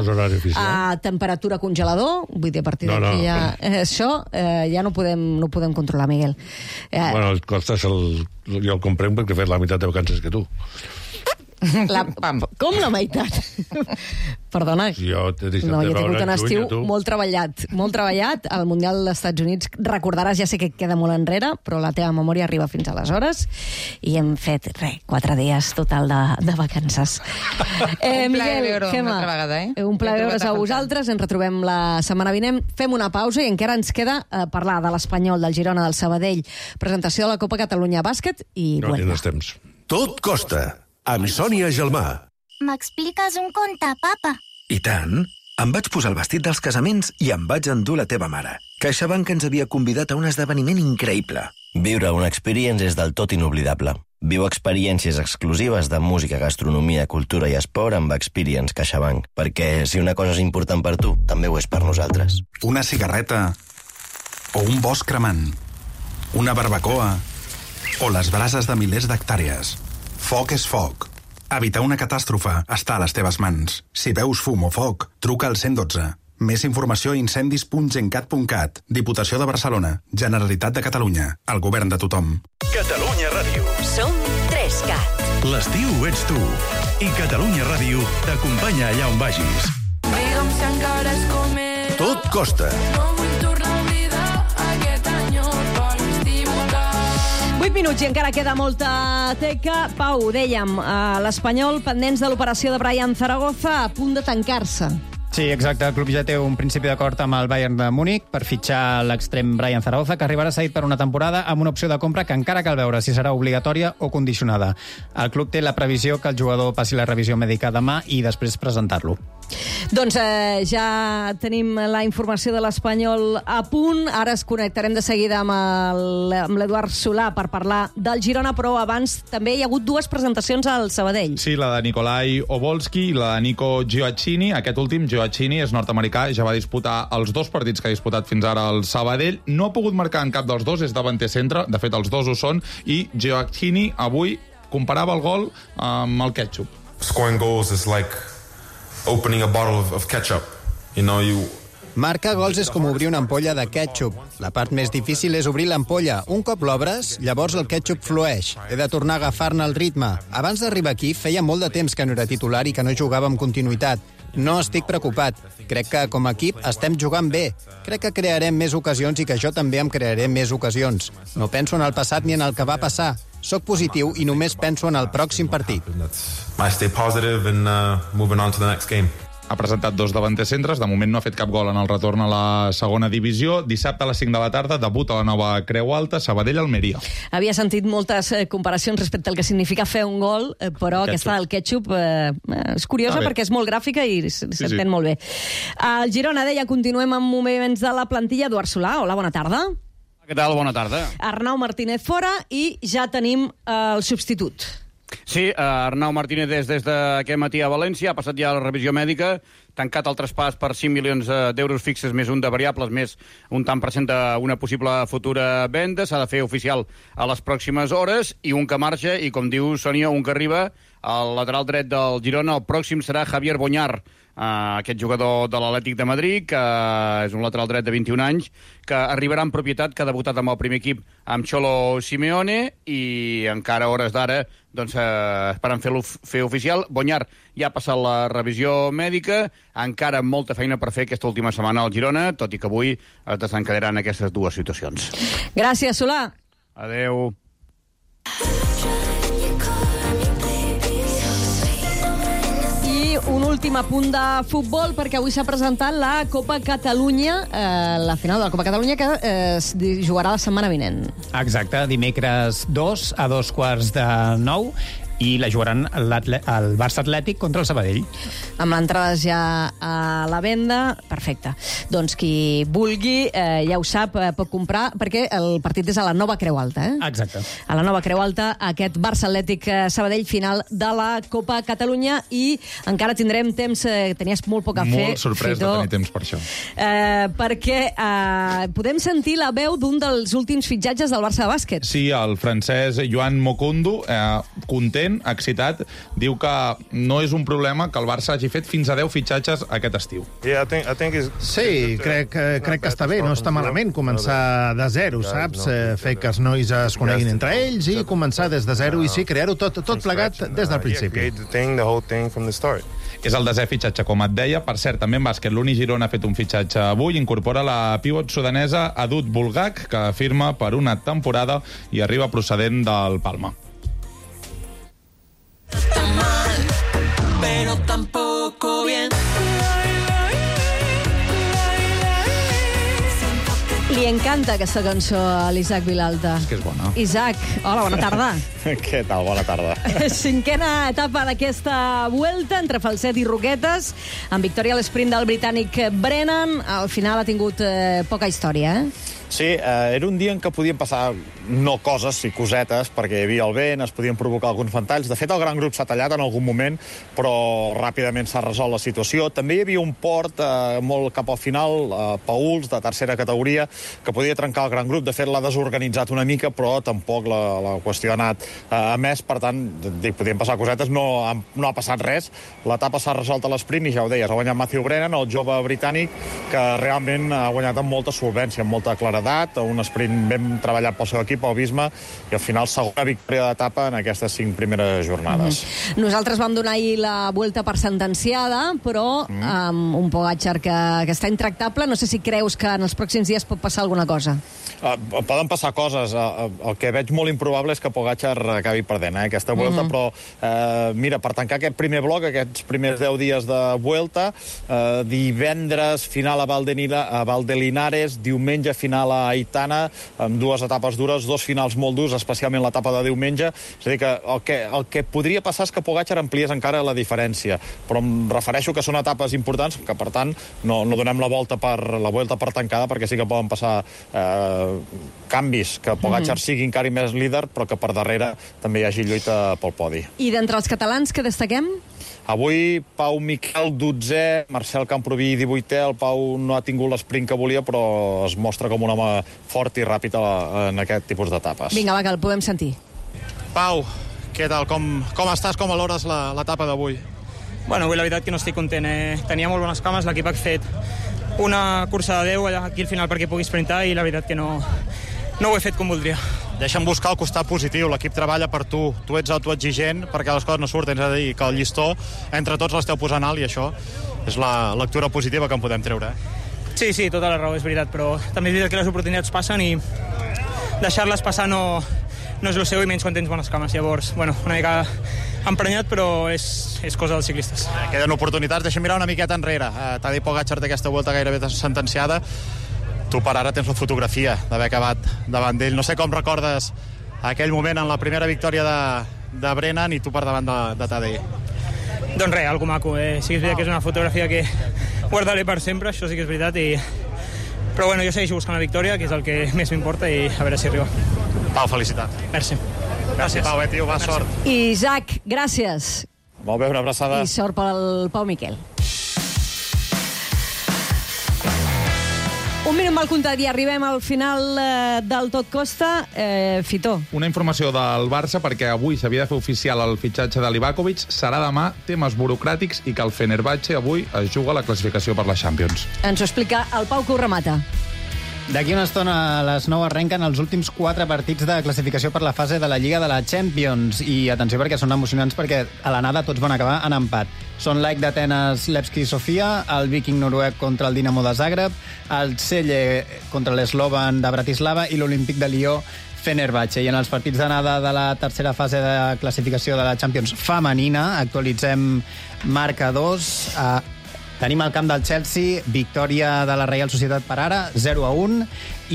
A temperatura congelador, vull dir, a partir d'aquí ja... Això ja no podem controlar, Miguel. Bueno, el Costa jo el comprenc perquè he fet la meitat de vacances que tu. Com la meitat? Perdona. Jo t'he deixat no, de jo he veure tingut un estiu tu. molt treballat. El Mundial dels Estats Units, recordaràs, ja sé que queda molt enrere, però la teva memòria arriba fins aleshores, i hem fet, 4 dies total de vacances. Miguel, Gemma, un plaer veure's a vosaltres. Ens retrobem la setmana vinent. Fem una pausa i encara ens queda parlar de l'Espanyol, del Girona, del Sabadell, presentació de la Copa Catalunya Bàsquet i... No tens temps. Tot costa. Amb Sònia Gelmà. M'expliques un conte, papa? I tant. Em vaig posar el vestit dels casaments i em vaig endur la teva mare. CaixaBank ens havia convidat a un esdeveniment increïble. Viure una experience és del tot inoblidable. Viu experiències exclusives de música, gastronomia, cultura i esport amb Experience CaixaBank. Perquè si una cosa és important per tu, també ho és per nosaltres. Una cigarreta o un bosc cremant. Una barbacoa o les brases de milers d'hectàrees. Foc és foc. Evitar una catàstrofe està a les teves mans. Si veus fum o foc, truca al 112. Més informació a incendis.gencat.cat. Diputació de Barcelona. Generalitat de Catalunya. El govern de tothom. Catalunya Ràdio. Som 3CAT. L'estiu ets tu. I Catalunya Ràdio t'acompanya allà on vagis. Digue'm si encara és com era. Tot costa. No vull tornar a oblidar aquest enyor per estimular. 8 minuts i encara queda molta teca. Pau, dèiem, l'Espanyol pendents de l'operació de Brian Zaragoza a punt de tancar-se. Sí, exacte. El club ja té un principi d'acord amb el Bayern de Múnich per fitxar l'extrem Brian Zaragoza, que arribarà cedit per una temporada amb una opció de compra que encara cal veure si serà obligatòria o condicionada. El club té la previsió que el jugador passi la revisió mèdica demà i després presentar-lo. Doncs ja tenim la informació de l'Espanyol a punt. Ara es connectarem de seguida amb l'Eduard Solà per parlar del Girona, però abans també hi ha hagut 2 presentacions al Sabadell. Sí, la de Nikolai Obolski i la de Nico Gioacchini. Aquest últim, Gioacchini, és nord-americà, ja va disputar els 2 partits que ha disputat fins ara al Sabadell. No ha pogut marcar en cap dels 2, és davanter centre, de fet els 2 ho són, i Gioacchini avui comparava el gol amb el ketchup. Scoring goals is like opening a bottle of ketchup. Marcar gols és com obrir una ampolla de ketchup. La part més difícil és obrir l'ampolla. Un cop l'obres, llavors el ketchup flueix. He de tornar a agafar-ne el ritme. Abans d'arribar aquí, feia molt de temps que no era titular i que no jugava amb continuïtat. No estic preocupat. Crec que, com a equip, estem jugant bé. Crec que crearem més ocasions i que jo també em crearé més ocasions. No penso en el passat ni en el que va passar. Soc positiu i només penso en el pròxim partit. I stay positive and moving on to the next game. Ha presentat 2 davanters centres, de moment no ha fet cap gol en el retorn a la segona divisió. Dissabte a les 5 de la tarda debuta la nova Creu Alta, Sabadell-Almeria. Havia sentit moltes comparacions respecte al que significa fer un gol, però aquesta del ketchup és curiosa perquè és molt gràfica i s'entén molt bé. El Girona, deia, continuem amb moviments de la plantilla. Eduard Solà, hola, bona tarda. Què tal? Bona tarda. Arnau Martínez fora i ja tenim el substitut. Sí, Arnau Martínez des d'aquest matí a València, ha passat ja la revisió mèdica, tancat el traspàs per 5 milions d'euros fixes més un de variables, més un tant per cent d'una possible futura venda. S'ha de fer oficial a les pròximes hores, i un que marxa, i com diu Sònia, un que arriba, el lateral dret del Girona. El pròxim serà Javier Boñar, aquest jugador de l'Atlètic de Madrid, que és un lateral dret de 21 anys, que arribarà en propietat, que ha debutat amb el primer equip amb Cholo Simeone, i encara a hores d'ara esperen fer oficial. Boñar ja ha passat la revisió mèdica, encara molta feina per fer aquesta última setmana al Girona, tot i que avui es desencadenaran aquestes dues situacions. Gràcies, Solà. Adeu. Un últim apunt de futbol, perquè avui s'ha presentat la Copa Catalunya, la final de la Copa Catalunya, que es jugarà la setmana vinent. Exacte, dimecres 2 a 2:45, i la jugaran el Barça Atlètic contra el Sabadell. Amb entrades ja a la venda, perfecte. Doncs qui vulgui, ja ho sap, pot comprar, perquè el partit és a la Nova Creu Alta. Exacte. A la Nova Creu Alta, aquest Barça Atlètic Sabadell, final de la Copa Catalunya, i encara tindrem temps, tenies molt poc a fer. Molt sorprès de tenir temps per això. Perquè podem sentir la veu d'un dels últims fitxatges del Barça de bàsquet. Sí, el francès Joan Mokondo, content, excitat, diu que no és un problema que el Barça hagi fet fins a 10 fitxatges aquest estiu. Sí, crec que està bé, no està malament començar de zero, saps? Fer que els nois es coneguin entre ells i començar des de zero, i sí, crear-ho tot plegat des del principi. És el 10è fitxatge, com et deia. Per cert, també en bàsquet, l'Uni Girona ha fet un fitxatge avui, incorpora la pivot sudanesa Adut Bulgak, que firma per una temporada i arriba procedent del Palma. Pero tampoco bien. Li encanta aquesta cançó a l'Isaac Vilalta. És que és bona. Isaac, hola, bona tarda. Què tal? Bona tarda. Cinquena etapa d'aquesta Vuelta, entre falset i roquetes, amb victòria a l'esprint del britànic Brennan. Al final ha tingut poca història, Sí, era un dia en què podien passar no coses, sí cosetes, perquè hi havia el vent, es podien provocar alguns ventalls. De fet, el gran grup s'ha tallat en algun moment, però ràpidament s'ha resolt la situació. També hi havia un port molt cap al final, Pauls, de tercera categoria, que podia trencar el gran grup. De fet, l'ha desorganitzat una mica, però tampoc la qüestió ha anat a més. Per tant, podien passar cosetes, no ha passat res. L'etapa s'ha resolt a l'esprint i ja ho deies, ha guanyat Matthew Brennan, el jove britànic, que realment ha guanyat amb molta solvència, amb molta claredat, un sprint ben treballat pel seu equip, el Visma, i al final segona victòria d'etapa en aquestes 5 primeres jornades. Nosaltres vam donar ahir la Vuelta per sentenciada, però amb un Pogačar que està intractable. No sé si creus que en els pròxims dies pot passar alguna cosa. Poden passar coses. El que veig molt improbable és que Pogačar acabi perdent aquesta Vuelta, però mira, per tancar aquest primer bloc, aquests primers 10 dies de Vuelta, divendres final a Valdelinares, diumenge final a Aitana, amb 2 etapes dures, 2 finals molt durs, especialment l'etapa de diumenge. És a dir, que el que podria passar és que Pogačar ampliés encara la diferència, però em refereixo que són etapes importants, que per tant no donem la Vuelta per tancada, perquè sí que poden passar canvis, que Pogačar sigui encara més líder, però que per darrere també hi hagi lluita pel podi. I d'entre els catalans, que destaquem? Avui Pau Miquel, 12è, Marcel Camproví, 18è. El Pau no ha tingut l'esprint que volia, però es mostra com un home fort i ràpid en aquest tipus d'etapes. Vinga, va, que el podem sentir. Pau, què tal? Com estàs? Com valores l'etapa d'avui? Bueno, avui la veritat que no estic content. Tenia molt bones cames, l'equip ha fet una cursa de 10 aquí al final perquè pugui sprintar i la veritat que no ho he fet com voldria. Deixa'm buscar el costat positiu, l'equip treballa per tu, tu ets autoexigent perquè les coses no surten, és a dir, que el llistó entre tots l'esteu posant alt i això és la lectura positiva que en podem treure. Sí, tota la raó, és veritat, però també és veritat que les oportunitats passen i deixar-les passar no és el seu, i menys quan tens bones cames. Llavors, bueno, una mica emprenyat, però és cosa dels ciclistes. Queden oportunitats, deixa'm mirar una miqueta enrere. Tadej Pogačar d'aquesta Vuelta gairebé sentenciada. Tu per ara tens la fotografia d'haver acabat davant d'ell. No sé com recordes aquell moment en la primera victòria de Brennan i tu per davant de Tadej. Doncs res, algo maco. Sí que és veritat que és una fotografia que guardaré per sempre, això sí que és veritat. Però bueno, jo segueixo buscant la victòria, que és el que més m'importa, i a veure si arriba. Pau, felicitat. Merci. Gràcies, Pau, tio, va, sort. Isaac, gràcies. Molt bé, una abraçada. I sort pel Pau Miquel. minut mal comptat i arribem al final del Tot Costa. Fitó. Una informació del Barça, perquè avui s'havia de fer oficial el fitxatge de Livakovic, serà demà temes burocràtics i que el Fenerbahçe avui es juga la classificació per la Champions. Ens ho explica el Pau, que ho remata. D'aquí una estona a les 9 arrenquen els últims 4 partits de classificació per la fase de la Lliga de la Champions. I atenció, perquè són emocionants, perquè a l'anada tots van acabar en empat. Són l'AEK d'Atenes, Levski Sofia, el Viking noruec contra el Dinamo de Zagreb, el Celje contra l'Slovan de Bratislava i l'Olímpic de Lió Fenerbahçe. I en els partits d'anada de la tercera fase de classificació de la Champions femenina actualitzem marcadors. Tenim al camp del Chelsea, victòria de la Reial Societat per ara, 0-1,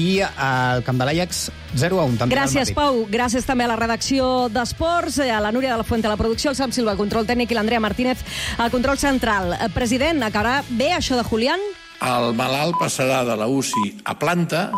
i al camp de l'Ajax, 0-1. Gràcies, Pau. Gràcies també a la redacció d'Esports, a la Núria de la Fuente a la producció, el Sam Silva, control tècnic, i l'Andrea Martínez al control central. President, acabarà bé això de Julián? El malalt passarà de la UCI a planta.